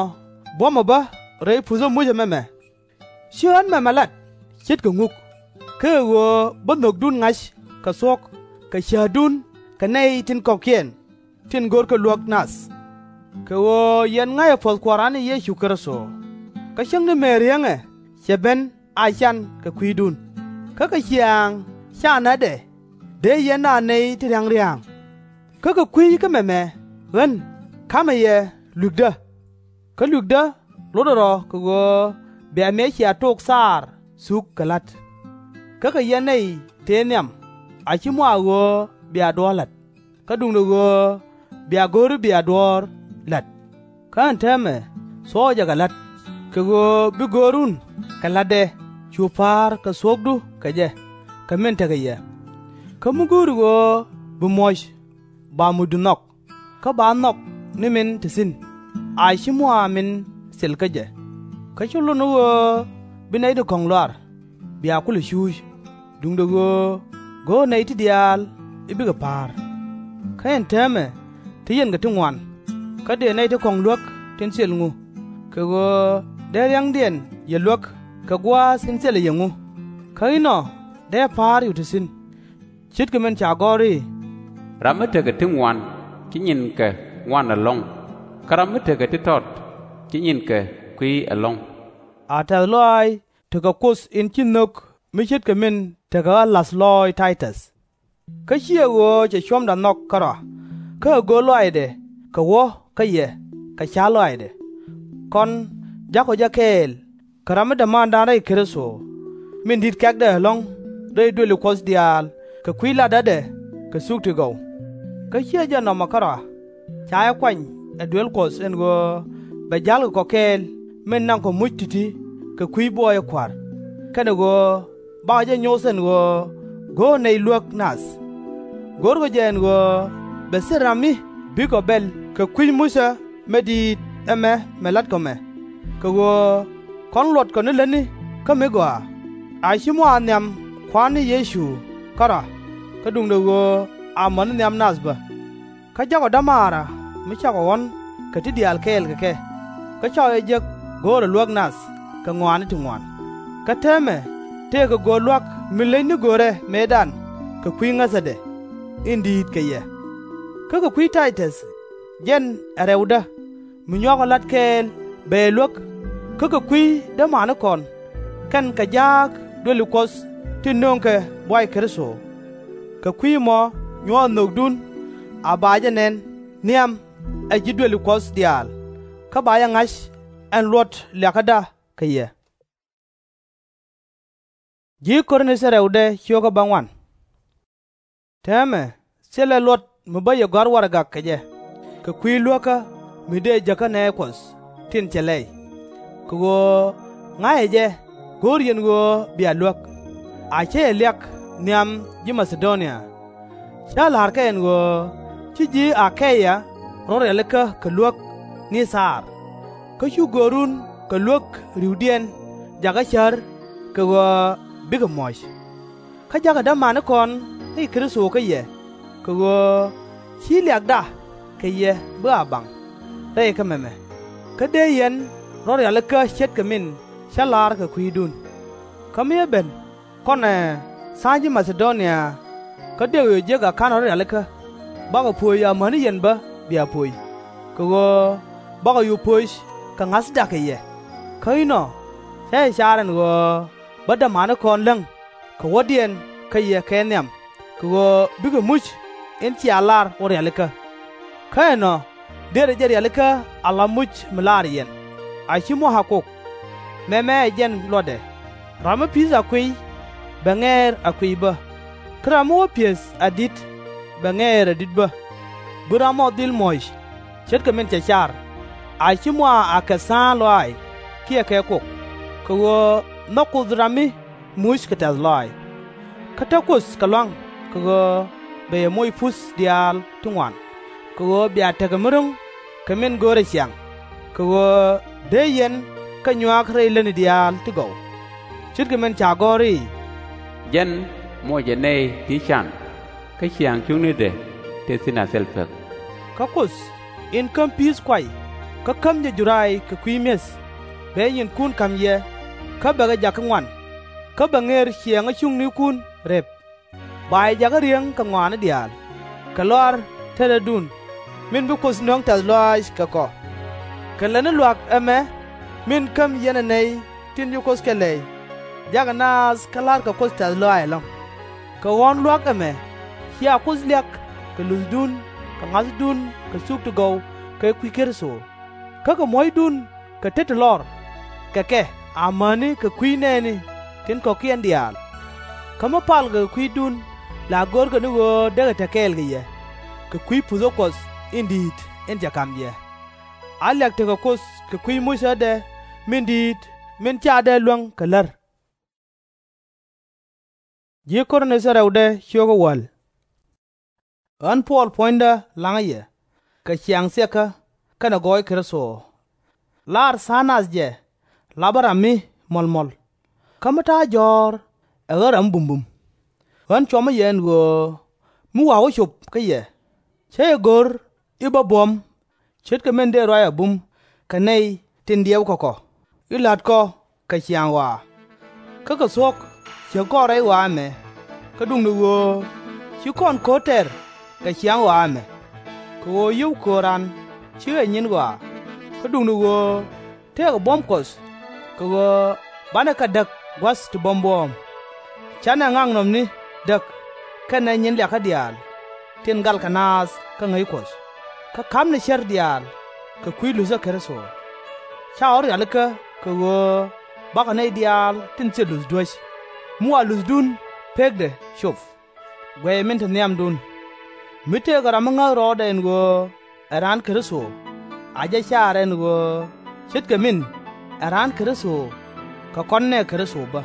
buɔ̱mɛ bä rɛy puthä mucä mɛmɛ. Ci ɣän mɛmɛ lat ce̱tkɛ ŋuk, kä ɛ ɣöö bä nhökdun ŋa̱c kɛ thuɔ̱k kɛ cäätdun kɛ nɛy tin kɔ̱kiɛn tin görkɛ luäk nath. Kɛ ɣöö yɛn ŋa̱cä puɔ̱th Kua̱ran ni Yecu Kritho, kä cäŋ ni mëë riäŋɛ cɛ ben a can kɛ kui̱dun. Kä kɛ ciaaŋ ca nätdɛ dee yɛn a nɛy ti ria̱ŋ ria̱a̱ŋ. Kä kɛ kui̱ kä mɛmɛ ɣän ka̱mɛ yɛ luekdä. Kä luekdä lotdɛ rɔ kɛ ɣöö bia mëë cia tok thaar thuk kɛ la̱t. Kä kɛ yɛn nɛy tëë nhiam, a /ci mɔ a ɣöö bia duɔ̱ɔ̱r la̱t, kä duundɛ ɣöö bia go̱ri bia duɔ̱ɔ̱r la̱t. Kä ɛn täämɛ thuɔ̱kɛ jɛ kɛ la̱t, kɛ ɣöö bi görun kɛ la̱tdɛ cu pa̱a̱r kɛ thuɔ̱kdu kɛ jɛ, kɛ min tekɛ yɛ. Kä mi go̱o̱ri ɣöö bi muɔ̱c, ba mucdu nhɔk, kä ba nhɔk ni min te thi̱n, a /ci mɔ a min thil kä jɛ. Kä /ci lot ni ɣöö bi nɛy ti kɔ̱ŋ luaar, bia kulɛ cuuc, duundɛ ɣöö go̱o̱r nɛy ti diaal i̱ bikɛ pa̱a̱r. Kä ɛn täämɛ te yɛn kɛ ti ŋuan, kä dëë nɛy ti kɔ̱ŋ luäk tin thil ŋu, kɛ ɣöö dee ria̱ŋdiɛn yɛ luäk kɛ gua̱a̱th in thilɛ yɛ ŋu. Kä inɔ dee pa̱a̱r yɛ te thi̱n, ce̱tkɛ min ca gɔ̱r i̱, Ram mi tekɛ ti ŋuan ci nyinkɛ ŋuan ɛlɔ̱ŋ, kä ram mi tekɛ ti tɔt ci nyinkɛ kui̱ ɛlɔ̱ŋ. A tɛ̈th lɔaac tekɛ Kuoth in ci nhök mi ce̱tkɛ min tekɛ ɣä la̱th lɔɔc Tay-täth. Kä /ciɛ ɣöö cɛ cuɔ̱mdɛ nhɔk kärɔa, kä ɛ go̱o̱r lɔaacdɛ kɛ wä kä yɛ kɛ ca̱r lɔaacdɛ. Kɔn ja̱kɔ jɛ kɛɛl kɛ ram mi dämaandan rɛy Kritho, min di̱t kɛ̈kdɛ ɛlɔ̱ŋ rɛy duëli Kuɔth diaal kɛ kui̱ latdä kɛ thuk ti gɔw. Kä /ciɛ jɛn nɔmɔ kärɔa, ca jɛ kuany ɛ duel Kuɔth ɛn ɣöö bɛ ja̱lkɛ kɔ kɛɛl min naŋkɔ muc ti̱ti̱ kɛ kui̱ buɔyä Kua̱r, kɛnɛ ɣöö bakɔ jɛ nyoth ɛn ɣöö go̱o̱r nɛy luäk nath. Go̱o̱rkɔ jɛ ɛn ɣöö bɛ thil ram mi bikɔ bɛl kɛ kui̱c Muthɛ mëë di̱i̱t ɛmɛ mɛ la̱tkɔ mɛ, kɛ ɣöö kɔn luɔtkɔ ni lätni kä mi gɔaa, a /ci mɔ a nhiam Kua̱r ni Yecu kärɔa, kä duundɛ ɣöö amäni nhiam nath bä. Kä ja̱kɔ dämaarä mi cakɔ ɣɔ̱n kɛ ti diaal kɛɛl kɛ kɛ, kä cakɔ jɛ jek go̱o̱rɛ luäk nath kɛ ŋɔaani ti ŋuan. Kä täämɛ tëëkɛ go̱r lua̱k mi leny ni görɛ mëëdan kɛ kui̱ ŋäthädɛ in di̱i̱t kɛ yɛ. Kä kɛ kui̱ Tay-täth, jɛn ɛ rɛwdä mi nyuakɔ la̱t kɛɛl bɛ yɛ luäk, kä kɛ kui̱ dämanikɔn, kɛn kɛ jaak duëli Kuɔth tin nööŋkɛ buay Kritho. Kɛ kui̱ ɛmɔ nyuɔ̱ɔ̱r nhökdun a ba jɛ nɛn nhiam ɛ ji̱ duëli Kuɔth diaal, kä ba jɛ ŋa̱c ɛn luɔt liakäda kɛ yɛ. Täämɛ thilɛ luɔt mi bä yɛ gɔ̱a̱r warɛgak kɛ jɛ kɛ kui̱ luäkä mi dëë jäkä nɛɛ Kuɔth tin cɛ lɛy, kɛ ɣöö ŋa̱cä jɛ go̱o̱r yɛn ɣöö bia luäk, a cä yɛ liak nhiam ji̱ Ma-tha-do-nia. Cä la̱r kɛ ɛn ɣöö ci ji̱ A-kay-yaa rɔ rialikä kɛ luäk ni thaar, kä cu görun kɛ luäk ri̱wdiɛn jakä cär kɛ ɣöö bikɛ muɔ̱c. Kä ja̱kä dämanikɔn rɛy Kritho kä yɛ, kɛ ɣöö /ci liakda kɛ yɛ bi a baŋ rɛy kä mɛmɛ, kä dëë yɛn rɔ rialikä ce̱tkɛ min cä la̱r kɛ kui̱dun. Kä mi ɛ ben kɔnɛ tha̱a̱ŋ ji̱ Ma-tha-do-nia, kä dëë kɛ yɛ jek a /ka̱nɛ rɔ rialikä, bakɔ pöc amäni yɛn bä bia pöc, kɛ ɣöö bakɔ cu pöc kɛ ŋa̱thda kɛ yɛ. Kä inɔ cä jɛ car ɛn ɣöö bä dämanikɔn läŋ kɛ wädiɛn kä yɛ kɛ nhiam, kɛ ɣöö bikɛ muc in cia lar wä rialikä. Kä ɛnɔ Dërɛ jɛ rialikä ala muc mi laar yɛn, a /ci muɔ̱k a kok. Mɛmɛ ɛ jɛn luɔtdɛ: Ram mi pi̱i̱th a kuiy, bɛ ŋɛɛr a kuiy bä, kä ram mi wä pi̱eth a di̱t, bɛ ŋɛɛr a di̱t bä. Bi ram ɔ dhil muɔ̱c ce̱tkɛ min cɛ car, a /ci muɔ̱k a kɛ tha̱a̱ŋ lɔaac kiɛ kɛ kok, kɛ ɣöö nhɔk Kuoth ram mi muc kɛ tɛ̈th lɔaac. Kä te Kuoth kɛ lua̱ŋ, kɛ ɣöö bɛ yɛ moc puth diaal ti ŋuan, kɛ ɣöö bia tekɛ mi ro̱ŋ kɛ min görɛ ciaŋ, kɛ ɣöö dee yɛn kɛ nyuak rɛy lätni diaal ti gɔw. Ce̱tkɛ min ca gɔ̱r i̱, Jɛn mocɛ nɛy ti can, kä ciaŋ cuŋnidɛ tëë thi̱n a thil pek. Kä Kuoth, in käm pi̱i̱th kuay, kä käm jɛ juray kɛ kui̱ mi̱eth, bɛ nyinkun ka̱m yɛ, kä bɛ kɛ jakä ŋuan, kä bɛ ŋër ciɛɛŋä cuŋnikun rep. Ba yɛ jakä ri̱eŋ kɛ ŋɔaani diaal, kɛ lɔaar tetdädun, min bi Kuoth nöŋ tɛ̈th lɔaac kɛ kɔ. Kɛ lätni luaak ɛmɛ min käm yɛn ɛ nɛy tin ci Kuoth kɛ lɛy, jakɛ naath kä la̱rkɛ Kuoth tɛ̈th lɔaac ɛlɔ̱ŋ. Kɛ ɣɔ̱ɔ̱n luaak ɛmɛ cia Kuoth liak kɛ luthdun kɛ ŋa̱thdun kɛ thuk ti gɔw kɛ kui̱ Kritho, kä kɛ muɔ̱cdun kɛ tet ti lɔr kɛ kɛ amäni kɛ kui̱ nɛɛni tin kɔ̱kiɛn diaal. Kä mi palkɛ kɛ kui̱dun la görkɛ ni ɣöö dee kɛ te kɛɛl kɛ yɛ, kɛ kui̱ puthä Kuɔth in di̱i̱t in cɛ ka̱m yɛ. A liak tekɛ Kuoth kɛ kui̱ mucädɛ min di̱i̱t min /ca dee luäŋ kɛ lär. Ɣän Puɔl, puɔ̱nydä la̱ŋä yɛ, kɛ ciaŋ thiekä kɛnɛ gɔɔy Kritho. Laar tha̱a̱ŋ nath jɛ lapä ram mi muɔ̱lmuɔ̱l, kä mi ta̱a̱ jɔ̱ɔ̱r ɛ ɣän ram mi bumbum. Ɣän cuɔmä yɛ ɛn ɣöö mi wa̱a̱ wä cop kä yɛ, cä yɛ go̱r i̱ bä buɔ̱m ce̱tkɛ min dëë ruac a bum kɛ nɛy tin diɛwkɛ kɔ, i̱ la̱tkɔ kɛ ciaŋ ɣɔaa. Kä kɛ thuɔ̱k ciekɔ rɛy ɣɔaa ɛmɛ, kä duundɛ ɣöö /ci kɔn ko̱r tɛr kɛ ciaŋ ɣɔaa ɛmɛ. Kɛ ɣöö yio̱w köör raan /cikɛ nyin ɣɔaa, kä duundɛ ɣöö tëëkɛ buɔ̱m Kuɔth, kɛ ɣöö banɛ kɛ däk gua̱th ti buɔ̱m buɔ̱ɔ̱m. Canɛ ŋaknɔmni däk kɛnɛ nyin liakä diaal tin galkɛ naath kä ŋäc Kuɔth, kä ka̱pnɛ cär diaal kɛ kui̱ luthä Kritho. Ca ɣɔ̱ rialikä kɛ ɣöö bakɔ nɛy diaal tin thil luth duäc, mi wa luthdun pekdɛ cop. Guɛcɛ min te nhiamdun. Mi tëëkɛ ram mi ŋäth rɔɔdɛ ɛn ɣöö ɛ raan Kritho, a jɛ car ɛn ɣöö ce̱tkɛ min ɛ raan Kritho, kɛ kɔn nɛɛ Kritho bä.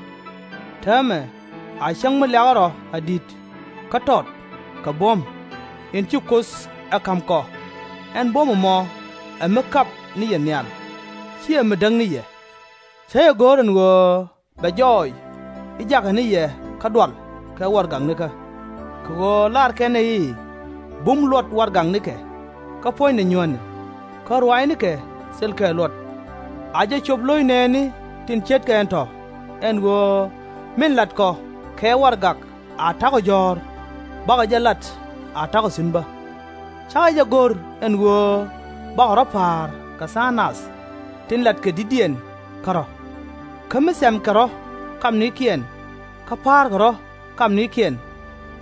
Täämɛ a cäŋ mi liakä rɔ a di̱t, kä tɔt, kɛ buɔ̱m, in ci Kuoth ɛ ka̱m kɔ. Ɛn buɔ̱m ɛmɔ ɛ mi kap ni yɛ nhial, /ciɛ mi däk ni yɛ. Cä yɛ go̱r ɛn ɣöö bɛ jɔɔc i̱ jakɛ ni yɛ kä dual kɛ warɛgaknikä. Kɛ ɣöö laarkɛ nɛy i̱, bum luɔt warɛgaknikɛ, kä puɔ̱nydɛ nyuäni, kä ruaacnikɛ thilkɛ luɔt. A jɛ cop lo̱c nɛɛni tin ce̱tkɛ ɛn tɔ̱, ɛn ɣöö min latkɔ kɛ warɛgak a ta̱kɔ jɔ̱ɔ̱r, bakɔ jɛ lat a ta̱kɔ thi̱n bä. Cakɛ jɛ go̱r ɛn ɣöö bakɔ rɔ̱ pa̱a̱r kɛ tha̱a̱ŋ nath tin latkɛ di̱tdiɛn kärɔ̱. Kä mi thɛmkɛ rɔ̱ kamnikiɛn, kä pa̱a̱rkɛ rɔ̱ kamnikiɛn,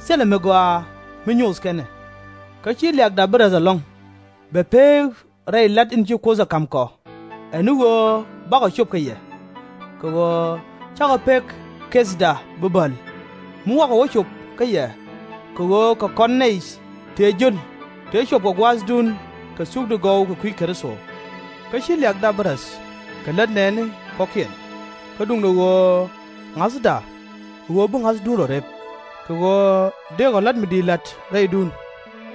thilɛ mi gɔaa mi nyoth kɛn ɛ. Kä /ci liakda bi räth ɛlɔ̱ŋ, bɛ pek rɛy la̱t in ci Kuoth ɛ ka̱m kɔ, ɛ ni ɣöö bakɔ cop kä yɛ. Kɛ ɣöö cakɔ pek kethda bi bäl, mi wakɔ wä cop kä yɛ, kɛ ɣöö kɛ kɔn nɛy tëë jiöl tëë cop kɛ gua̱a̱thdun kɛ thuk ti gɔw kɛ kui̱ Kritho. Kä /ci liakda bi räth kɛ lät nɛɛni kɔ̱kiɛn, kä duundɛ ɣöö ŋa̱thda, kɛ ɣöö bi ŋa̱thdun rɔ rep, kɛ ɣöö dëëkɔ la̱t mi di̱i̱t la̱t rɛydun,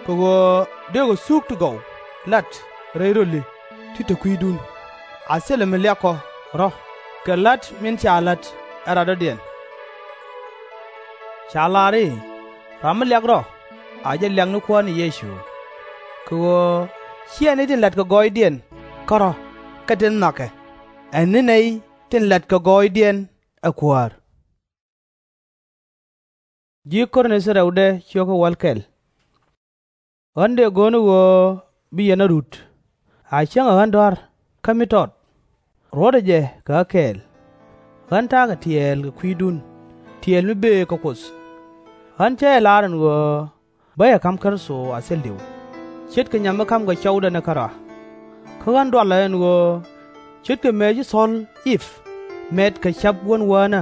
kɛ ɣöö dëëkɔ thuk ti gɔw la̱t rɛy röli ti te kui̱dun. A thilɛ mi liakɔ rɔ̱ kɛ la̱t min ca la̱t ɛ radɔ̱diɛn. Ca lar i̱, ram mi liak rɔ̱ a jɛ liak ni Kuäär ni Yecu. Kɛ ɣöö /ciɛ nɛy tin latkɛ gɔɔydiɛn kärɔ̱ kɛ tin nhɔakɛ, ɛ ni nɛy tin latkɛ gɔɔydiɛn ɛ Kuäär. Ɣän dëë go̱o̱r ni ɣöö bi yɛn a rut, a cäŋ ɛ ɣän dɔ̱a̱r kä mi tɔt. Ruɔ̱tdɛ jɛ kɛ ɣä kɛɛl. Ɣän ta̱a̱kɛ tiɛɛl kɛ kui̱dun, tiɛɛl mi bëë kä Kuoth. Ɣän cä jɛ lar ɛn ɣöö bä jɛ ka̱m Kritho a thil diw, ce̱tkɛ nyam mi ka̱mkɛ cɔwdä ni kärɔa. Kä ɣän dualɛ ɛn ɣöö ce̱tkɛ mëë ci thɔ̱l I̱p mɛt kɛ ca̱p wän wäänä,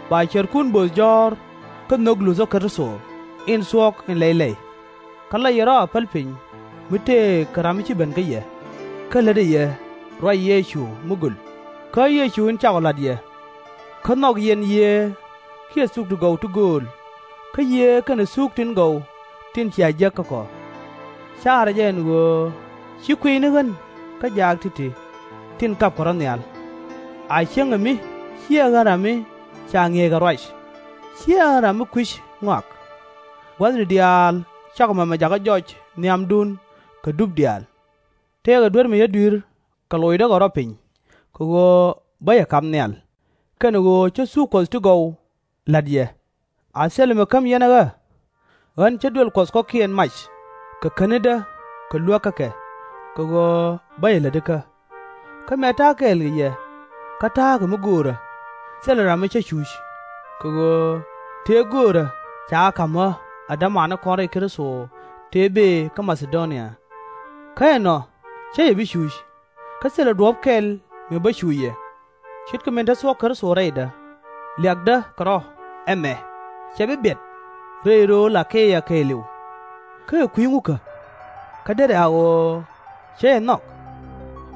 ba cärkun böth jɔ̱ɔ̱r kä nhök Luthä Kritho in thuɔ̱k in lɛy lɛy. Kä la yɛ rɔ̱ a päl piny mi tëë kɛ ram mi ci ben kä yɛ, kä lätdɛ yɛ ruac Yecu mi göl, kä Yecu in cakɔ la̱t yɛ. Kä nhɔk yɛn yiëë kiɛ thuk ti gɔw ti gööl, kä yiëë kɛnɛ thuk tin gɔw tin cia jek kä kɔ. Caarä jɛ ɛn ɣöö ci kuiy ni ɣän kä jaak ti̱ti̱ tin kapkɛ rɔ̱ nhial. A cäŋ ɛ mi /ciɛ ɣän ram mi ca ŋi̱eeckɛ ruac, /ciɛ ɣän ram mi kui̱c ŋɔak. Gua̱thni diaal cakɔ mɛmɛ jakä jɔc nhiamdun kɛ dup diaal. Tëëkɛ duer mi yä dui̱r kɛ locdä kɛ rɔ̱ piny, kɛ ɣöö bä yɛ ka̱m nhial, kɛnɛ ɣöö cä thuk Kuɔth ti gɔw la̱t yɛ. A thilɛ mi käm yɛn ɛ ɣä? Ɣän cä duël Kuɔth kɔ̱kiɛn mac kɛ käni̱dä kɛ luäk kä kɛ, kɛ ɣöö bä yɛ lätikä. Kä mëë ta̱a̱ kɛɛl kɛ yɛ, kä ta̱a̱ kɛ mi göörä, thilɛ ram mi cä cuc, kɛ ɣöö tëë göörä ca ka̱m ɣä ɛ dämanikɔn rɛy Kritho tëë bëë kä Ma-tha-do-nia. Kä ɛnɔ cä yɛ bi cuc, kä thilɛ duɔ̱ɔ̱p kɛl mi bä cuc yɛ, ce̱tkɛ min te thuɔ̱k Kritho rɛydä. Liakdä kɛ rɔ̱ ɛmɛ cɛ bi biɛt rɛy rööl A-ke-ya kɛɛliw. Kä ɛ kui̱ ŋukä? Kä derɛ a ɣöö cä yɛ nhɔk?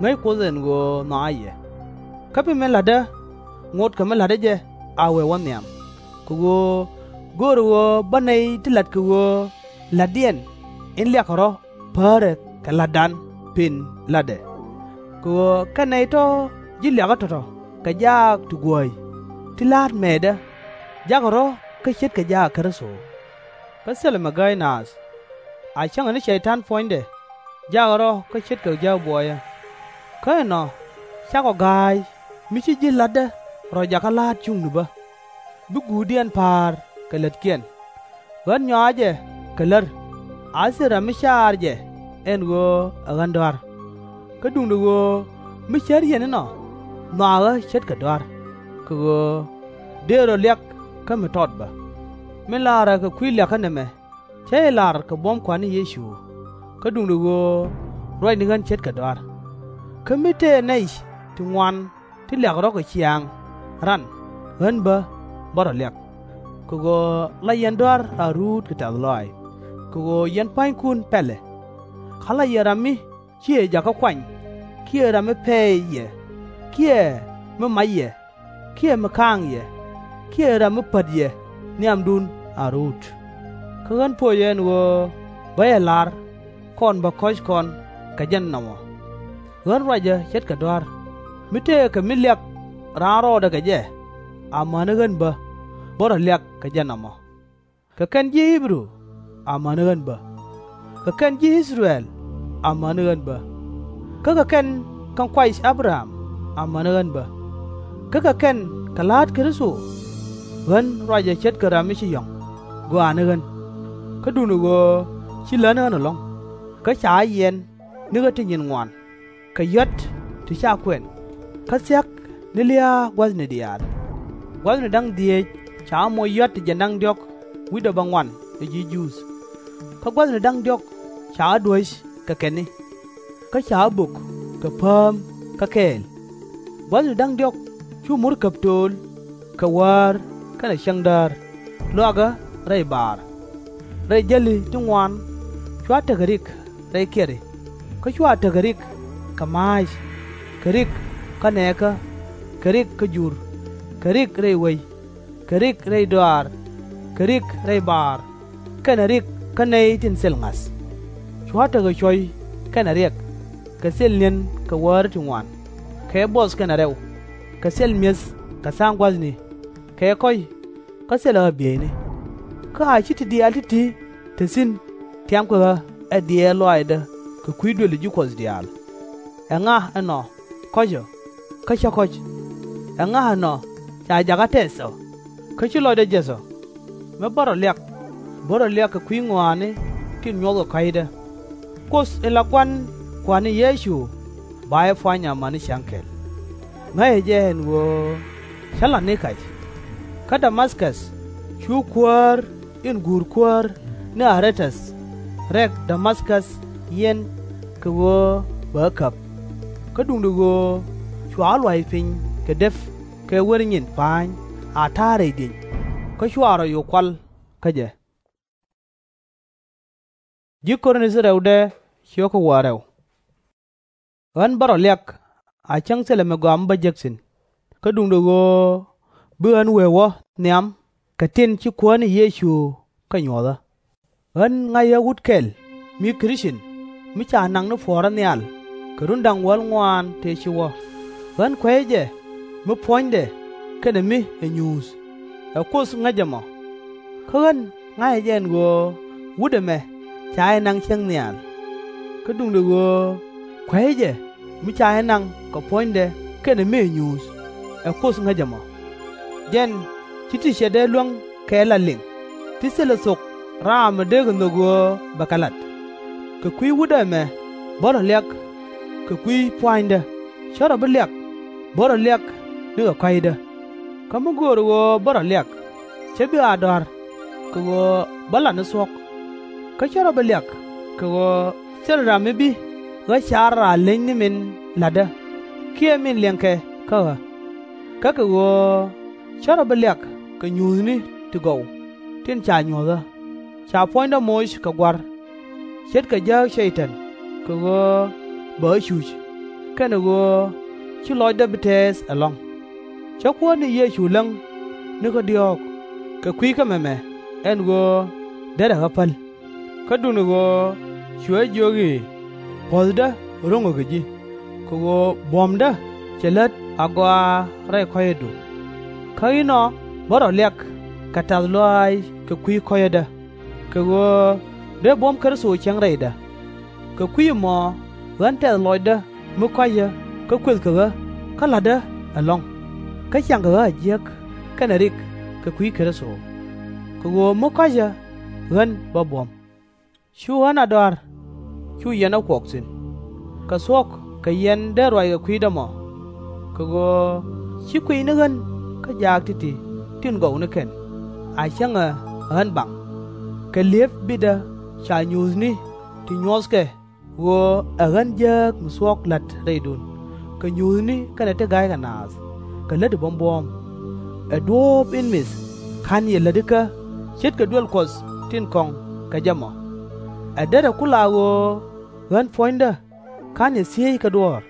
Ŋäc Kuoth ɛn ɣöö nhɔakä yɛ. Kä bi min la̱tdä ŋot kɛ mi la̱tdä jɛ a wee wä nhiam, kɛ ɣöö göörä ɣöö bä nɛy ti la̱t kɛ ɣöö la̱tdiɛn in liakɛ rɔ̱ päärɛ kɛ la̱tdan pën la̱tdɛ. Kɛ ɣöö kɛn nɛy tɔ̱ ji̱ liakä tɔ̱tɔ̱ kɛ jaak ti guääy ti la̱a̱t mɛɛtdä, jakɛ rɔ̱ kä ce̱tkɛ jaak Kritho. Kä thilɛ mi gääy naath. A cäŋɛ ni Cɛy-tan puɔ̱nydɛ jakɛ rɔ̱ kä ce̱tkɛ jääk buɔyä. Kä ɛnɔ cakɔ ga̱a̱c mi ci ji̱ la̱tdä rɔ jakä la̱a̱t cuŋni bä, bi guutdiɛn pa̱a̱r kɛ lätkiɛn. Ɣän nyɔakä jɛ kɛ lär, a thil ram mi caar jɛ ɛn ɣöö ɛ ɣän dɔ̱a̱r. Kä duundɛ ɣöö mi cär yɛn inɔ nhɔakä ce̱tkɛ dɔ̱a̱r, kɛ ɣöö dëë rɔ liak kä mi tɔt bä. Min laarä kɛ kui̱ liakä nɛmɛ, cä jɛ lar kɛ buɔ̱m Kua̱r ni Yecu. Kä duundɛ ɣöö ruac ni ɣän ce̱tkɛ dɔ̱a̱r. Kä mi tëë nɛy ti ŋuan ti liakɛ rɔ̱ kɛ ciaaŋ ran, ɣän bä bä rɔ liak. Kɛ ɣöö la yɛn dɔ̱a̱r a ruut kɛ tɛ̈th lɔaac, kɛ ɣöö yɛn pua̱nykun pɛlɛ. Kä la yɛn ram mi /ciɛ jakä kuany, kiɛ ram mi pɛɛy yɛ, kiɛ mi mac yɛ, kiɛ mi ka̱a̱ŋ yɛ, kiɛ ram mi pät yɛ nhiamdun a ruut. Kä ɣän po̱cɛ ɛn ɣöö bä jɛ la̱r, kɔn bä kɔ̱c kɔn kɛ jɛn nɔmɔ. Ɣän ruacä ce̱tkɛ dɔ̱a̱r, mi tëëkɛ mi liak raan rɔɔdɛ kɛ jɛ, amäni ɣän bä bä rɔ liak kɛ jɛn nɔmɔ. Kɛ kɛn ji̱ Ɣi-bɛ-ru, amäni ɣän bä. Kɛ kɛn ji̱ I-thɛ-rɛl, amäni ɣän bä. Kä kɛ kɛn kɛ ŋuac Ä-bɛ-ram, amäni ɣän bä. Kä kɛ kɛn kɛ la̱a̱t Kritho, ɣän ruacä ce̱tkɛ ram mi ci yɔ̱ŋ, gɔaani ɣän. Kä duundɛ ɣöö ci lätni ɣän ɛlɔ̱ŋ, kä ca ɣä yiɛn ni ɣä ti nyin ŋuan, kɛ yɔ̱t ti ca kuɛn, kä thia̱k ni lia̱a̱ gua̱thni diaal. Gua̱thni da̱ŋ dhieec ca ɣä moc yɔ̱t ti jiɛn da̱ŋ diɔ̱k wi̱cdɛ bäŋuan ɛ ji̱ Juudh. Kä gua̱thni da̱ŋ diɔ̱k ca ɣä duäc kɛ kɛn ni, kä ca ɣä bök kɛ pääm kä kɛɛl. Gua̱thni da̱ŋ diɔ̱k cu murkäp tööl kɛ wäär kɛnɛ cäŋdäär, luakä rɛy baar. Rɛy jäli ti ŋuan cua tekɛ rik rɛy kiɛri, kä cua tekɛ rik kɛ ma̱a̱c, kɛ rik kä nɛɛkä, kɛ rik kä jur, kɛ rik rɛy wec, kɛ rik rɛy dɔaar, kɛ rik rɛy baar, kɛnɛ rik kä nɛy tin thil ŋa̱th. Cua tekɛ cuɔ̱c kɛnɛ riɛk, kɛ thil ni̱en kɛ wäär ti ŋuan, kɛ buɔth kɛnɛ rɛw, kɛ thil mi̱eth kɛ tha̱a̱ŋ gua̱thni, kɛ kɔ̱c kä thilɛ ɣä bieyni. Kä a /ci ti diaal ti̱ti̱ te thi̱n tiamkɛ ɣä ɛ diɛɛr lɔaacdä kɛ kui̱ duëli ji̱ Kuɔth diaal. Ɛŋa ɛnɔ kɔ̱cä, kä cä kɔ̱c? Ɛŋa ɛnɔ ca jakä tɛth ɔ, kä ci lɔcdä jäth ɔ? Mi bä rɔ liak, bä rɔ liak kɛ kui̱ ŋɔaani tin nyuɔthkɛ kɔ̱a̱cdä. Kuoth in la Gua̱n Kua̱r ni Yecu ba jɛ pua̱ny amäni cäŋ kɛl. Ŋäcɛ jɛ ɛn ɣöö cä la̱t ni kac. Kä Dä-ma-käth cu kuäär in guur kuäär ni Ä-rɛ-täth rɛk Dä-ma-käth yiɛn kɛ ɣöö bɛ ɣä käp. Kä duundɛ ɣöö cua lua̱c piny kɛ dep kɛ wër nyin pa̱ny a ta̱a̱ rɛy dieny, kä cua rɔ yo̱o̱k kual kä jɛ. Ɣän bä rɔ liak a cäŋ thilɛ mi gɔaa mi bä jek thi̱n, kä duundɛ ɣöö bi ɣän wee wä nhiam kɛ tin ci Kuäär ni Yecu kɛ nyuɔ̱th ɣä. Ɣän ŋa̱c ɣä wut kɛl mi Krith-cin, mi ca naŋ ni puɔ̱ɔ̱rä nhial kɛ run da̱ŋ wäl ŋuan tëë ci wä. Ɣän kuɛcä jɛ mi puɔ̱nydɛ kɛnɛ mi ɛ nyuuth, ɛ Kuoth ŋäcä mɔ. Kä ɣän ŋa̱cä jɛ ɛn ɣöö wut ɛmɛ ca jɛ naŋ cieŋ nhial. Kä duundɛ ɣöö kuecä jɛ mi ca jɛ naŋ kɛ puɔ̱nydɛ kɛnɛ mi ɛ nyuuth, ɛ Kuoth ŋäcä mɔ. Jɛn /ci ti cɛ dee luäŋ kɛ lat liŋ, ti thilɛ thok ram mi dee kɛ nhök ɣöö bɛ kɛ lat. Kɛ kui̱ wut ɛmɛ bä rɔ liak kɛ kui̱ pua̱nydä, /cä rɔ bi liak bä rɔ liak nikɛ kɔ̱a̱cdä. Kä mi göörä ɣöö bä rɔ liak, /cä bi a dɔ̱a̱r kɛ ɣöö bä lat ni thuɔ̱k. Kä /cä rɔ bi liak kɛ ɣöö thilɛ ram mi bi ɣä car a leny ni min la̱tdä kiɛ min liɛŋkɛ kä ɣä. Kä kɛ ɣöö /cä rɔ bi liak kɛ nyuuthni ti gɔw tin ca nyuɔ̱th ɣä, ca puɔ̱nydä moc kɛ Gua̱r, ce̱tkɛ jääk Cɛy-tan kɛ ɣöö bɛ ɣä cuc, kɛnɛ ɣöö /ci lɔcdä bi tɛɛth ɛlɔ̱ŋ. Cä Kuäär ni Yecu läŋ nikä diɔ̱ɔ̱k kɛ kui̱ kä mɛmɛ ɛn ɣöö derɛ ɣä päl. Kä duundɛ ɣöö cuɛ jɛ jiök i̱, puɔ̱thdä ro̱ŋɛ kɛ ji̱, kɛ ɣöö buɔ̱mdä cɛ lät agɔaa rɛy kɔ̱cädu. Kä inɔ bä rɔ liak kɛ tɛ̈th lɔaac kɛ kui̱ kɔ̱cädä, kɛ ɣöö dee buɔ̱m Kritho cieŋ rɛydä. Kɛ kui̱ ɛmɔ ɣän tɛth lɔcdä mi kɔ̱cä kä kuëthkɛ ɣä kä la̱tdä ɛlɔ̱ŋ, kä ciaŋkɛ ɣä a jiäk kɛnɛ rik kɛ kui̱ Kritho. Kɛ ɣöö mi kɔ̱cä ɣän bä buɔ̱m. Cu ɣän a dɔ̱a̱r, cu yɛn ɣä kuɔk thi̱n, kɛ thuɔ̱k kɛ yɛn dee ruac kɛ kui̱dä mɔ. Kɛ ɣöö /ci kuiy ni ɣän kä jaak ti̱ti̱ tin gɔw ni kɛn, a cäŋ ɛ ɣän baŋ, kɛ li̱ep bitdä ca nyuuthni ti nyuɔthkɛ ɣöö ɛ ɣän jääk mi thuɔ̱k la̱t rɛydun kɛ nyuuthni kɛnɛ ti ga̱ykɛ naath kɛ lätdi buɔ̱m buɔ̱ɔ̱m. Ɛ duɔ̱ɔ̱p in mith /ka̱n yɛ lätikä ce̱tkɛ duel Kuɔth tin kɔ̱ŋ kɛ jɛ mɔ. Ɛ derɛ ku la ɣöö ɣän puɔ̱nydä /ka̱n yɛ thiec kɛ duɔ̱ɔ̱r,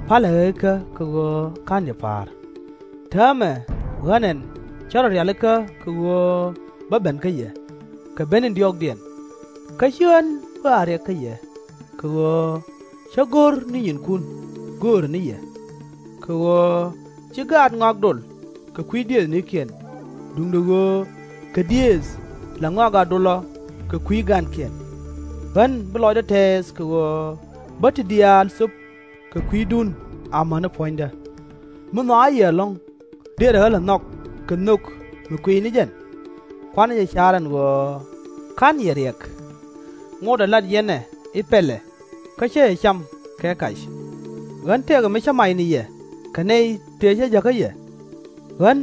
palɛ ɣä ikä kɛ ɣöö /ka̱n yɛ pa̱a̱r. Täämɛ ɣän ɛn cä rɔ rialikä kɛ ɣöö bä ben kä yɛ, kɛ ben in diɔ̱ɔ̱kdiɛn. Kä /ci ɣän bä a riɛk kä yɛ, kɛ ɣöö cä go̱r ni nyinkun göörä ni yɛ. Kɛ ɣöö /ci gaat ŋɔak dol kɛ kui̱ diëëthnikiɛn, duundɛ ɣöö kɛ diëëth la ŋɔak a dolä kɛ kui̱ gaatkiɛn. Ɣän bi lɔcdä tɛɛth kɛ ɣöö bä ti diaal thöp kɛ kui̱dun amäni puɔ̱nydä. Mi nhɔakä yɛ ɛlɔ̱ŋ, dërɛ ɣä lɛ nhɔk kɛ nhök mi kuiy ni jɛn. Kuanɛ jɛ car ɛn ɣöö /ka̱n yɛ riɛk. Ŋotdɛ lat yɛn ɛ i̱ pɛlɛ, kä cä yɛ cam kɛ kac. Ɣän tëëkɛ mi cä mac ni yɛ kɛ nɛy tëë cä jäkä yɛ. Ɣän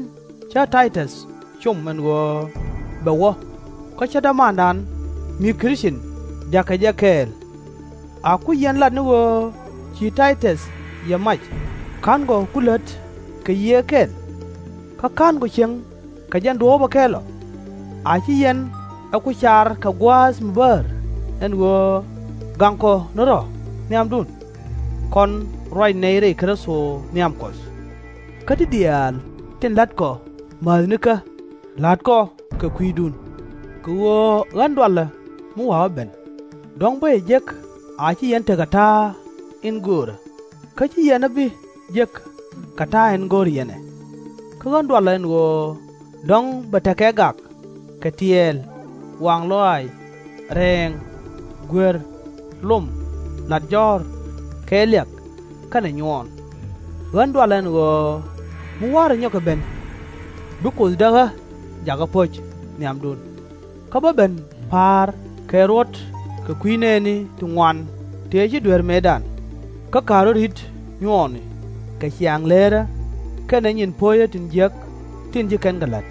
cä Tay-täth com ɛn ɣöö bɛ wä, kä cä dämandan mi Krith-cin jakä jɛ kɛɛl. A ku yɛn lat ni ɣöö ci Tay-täth yɛ mac, /ka̱nkɔ ku lät kɛ yiëë kɛl? Kä /ka̱nkɔ cieŋ kɛ jɛn duɔ̱ɔ̱pä kɛl ɔ? A /ci yɛn ɛ ku car kɛ gua̱a̱th mi bäär ɛn ɣöö gaŋkɔ ni rɔ̱ nhiamdun? Kɔn ruac nɛy rɛy Kritho nhiam Kuɔth. Kä ti diaal tin la̱tkɔ määthnikä, la̱tkɔ kɛ kui̱dun. Kɛ ɣöö ɣän dualä mi wa̱a̱ wä ben, dɔ̱ŋ bä yɛ jek a /ci yɛn tekɛ ta̱a̱ in göörä, kä /ci yɛn ɛ bi jek kɛ ta̱a̱ in go̱r yɛn ɛ. Kä ɣän dualä ɛn ɣöö dɔ̱ŋ bɛ tekɛ gak, kɛ tiɛɛl, waŋ lɔaac, rɛɛŋ, guer, lom, lat jɔ̱ɔ̱r, kɛɛliak, kɛnɛ nyuɔɔn. Ɣän dualä ɛn ɣöö mi wa̱rä nyɔkɛ ben, bi Kuoth däk ɣä jakä po̱c nhiamdun, kä bä ben pa̱a̱r kɛ ruɔ̱t kɛ kui̱ nɛɛni ti ŋuan tëë ci duer mëëdan, kä ka̱n rɔ̱ ri̱t nyuɔɔni kɛ ciaŋ leerä kɛnɛ nyin puɔ̱cä tin jiäk tin ci kɛn kɛ la̱t.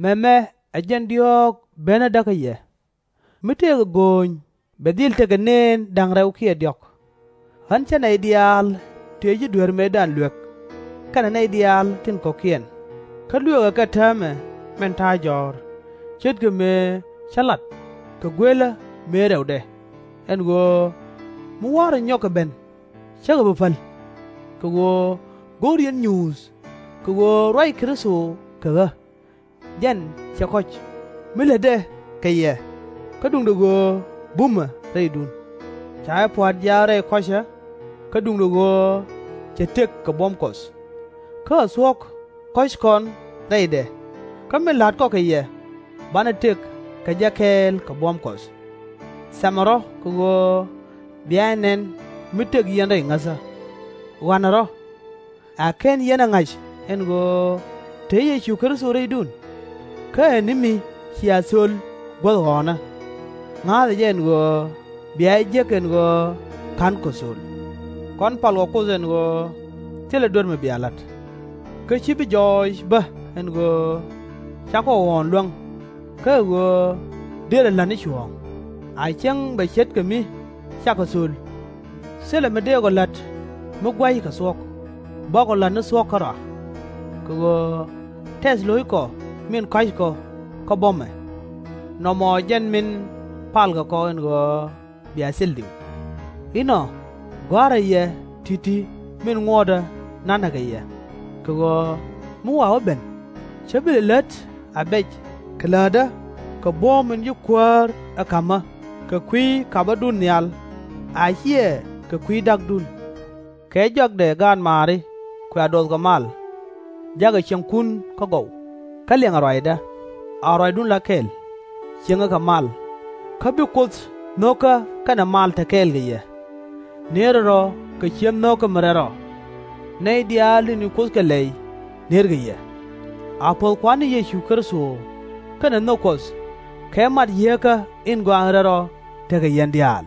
Mɛmɛ ɛ jɛn diɔ̱ɔ̱k benädä kä yɛ, Mi tëëkɛ gööny bɛ dhil tekɛ nëën da̱ŋ rɛw kiɛ diɔ̱k. Ɣän cä nɛy diaal tëë ji̱ dueer mëëdan luek, kɛnɛ nɛy diaal tin kɔ̱kiɛn, kä lueekɛ kɛ täämɛ min ta̱a̱ jɔ̱ɔ̱r, ce̱tkɛ mëë cä lat kɛ guëlä mëë rɛwdɛ, ɛn ɣöö mi wa̱a̱rä nyɔk kɛ ben, /cä ɣä bi päl. Kɛ ɣöö go̱o̱r yɛn nyuuth kɛ ɣöö ruac Kritho kɛ ɣä. Jɛn cɛ kɔ̱c, mi lätdɛ kɛ yɛ, kä duundɛ ɣöö bumɛ rɛydun. Ca jɛ pua̱a̱t jiath rɛy kɔ̱cä, kä duundɛ ɣöö cɛ tëk kɛ buɔ̱m Kuɔth. Kä ɛ thuɔ̱k kɔ̱c kɔn rɛydɛ, kä min la̱t kɔ kɛ yɛ, banɛ tëk kɛ jɛ kɛɛl kɛ buɔ̱m Kuɔth. Thɛmɛ rɔ̱ kɛ ɣöö bia jɛ nɛn mi tëk yɛn rɛy ŋäthä. Ɣɔ̱a̱nɛ rɔ̱. A /ken yɛn ɛ ŋa̱c ɛn ɣöö te Yecu Kritho rɛydun? Kä ɛ ni mi cia thöl guäth ɣɔ̱ɔ̱nä. Ŋa̱a̱thɛ jɛ ɛn ɣöö bia jɛ jek ɛn ɣöö /ka̱nkɔ thöl. Kɔn palkɔ Kuoth ɛn ɣöö thilɛ duer mi bia la̱t. Kä /ci bi jɔɔc bä ɛn ɣöö cakɔ ɣɔ̱ɔ̱n luäŋ, kä ɛ ɣöö dërɛ la̱t ni cuɔ̱ɔ̱ŋ, a cäŋ bɛ ce̱tkɛ mi cakɔ thöl. Thilɛ mi dëëkɔ la̱t mi gua̱c kɛ thuɔ̱k, bäkɔ la̱t ni thuɔ̱k kärɔa. Kɛ ɣöö tɛth lo̱ckɔ min kɔ̱a̱ckɔ kä buɔ̱mɛ, nɔmɔ jɛn min palkɛ kɔ ɛn ɣöö bia thil diw. Inɔ gɔ̱a̱rä yɛ ti̱ti̱ min ŋuɔ̱tdä na̱nä kɛ yɛ, kɛ ɣöö mi wa wä ben, cä bi lɛ lät a bɛc kɛ läätdä kɛ buɔ̱m min ci Kuäär ɛ ka̱mä kɛ kui̱ kapädun nhial, a /ciɛ kɛ kui̱ da̱kdun. Kɛ jɔakdɛ gaatmaari kua duɔthkɛ mal, ja̱kɛ cieŋkun kä gɔw, kä liɛŋɛ ruacdä, a ruacdun la kɛl, ciëŋɛ kɛ mal, kä bi Kuoth nho̱kä kɛnɛ mal te kɛɛl kɛ yɛ. Nëërɛ rɔ̱ kɛ ciek nho̱kä mi rɛl rɔ. Nɛy diaal tin ci Kuoth kɛ lɛy nërkɛ yɛ. A puɔ̱th Kua̱r ni Yecu Kritho kɛnɛ nhök Kuɔth kɛ mat Yieekä in Gɔaa in Rɛl Rɔ tekɛ yɛn diaal.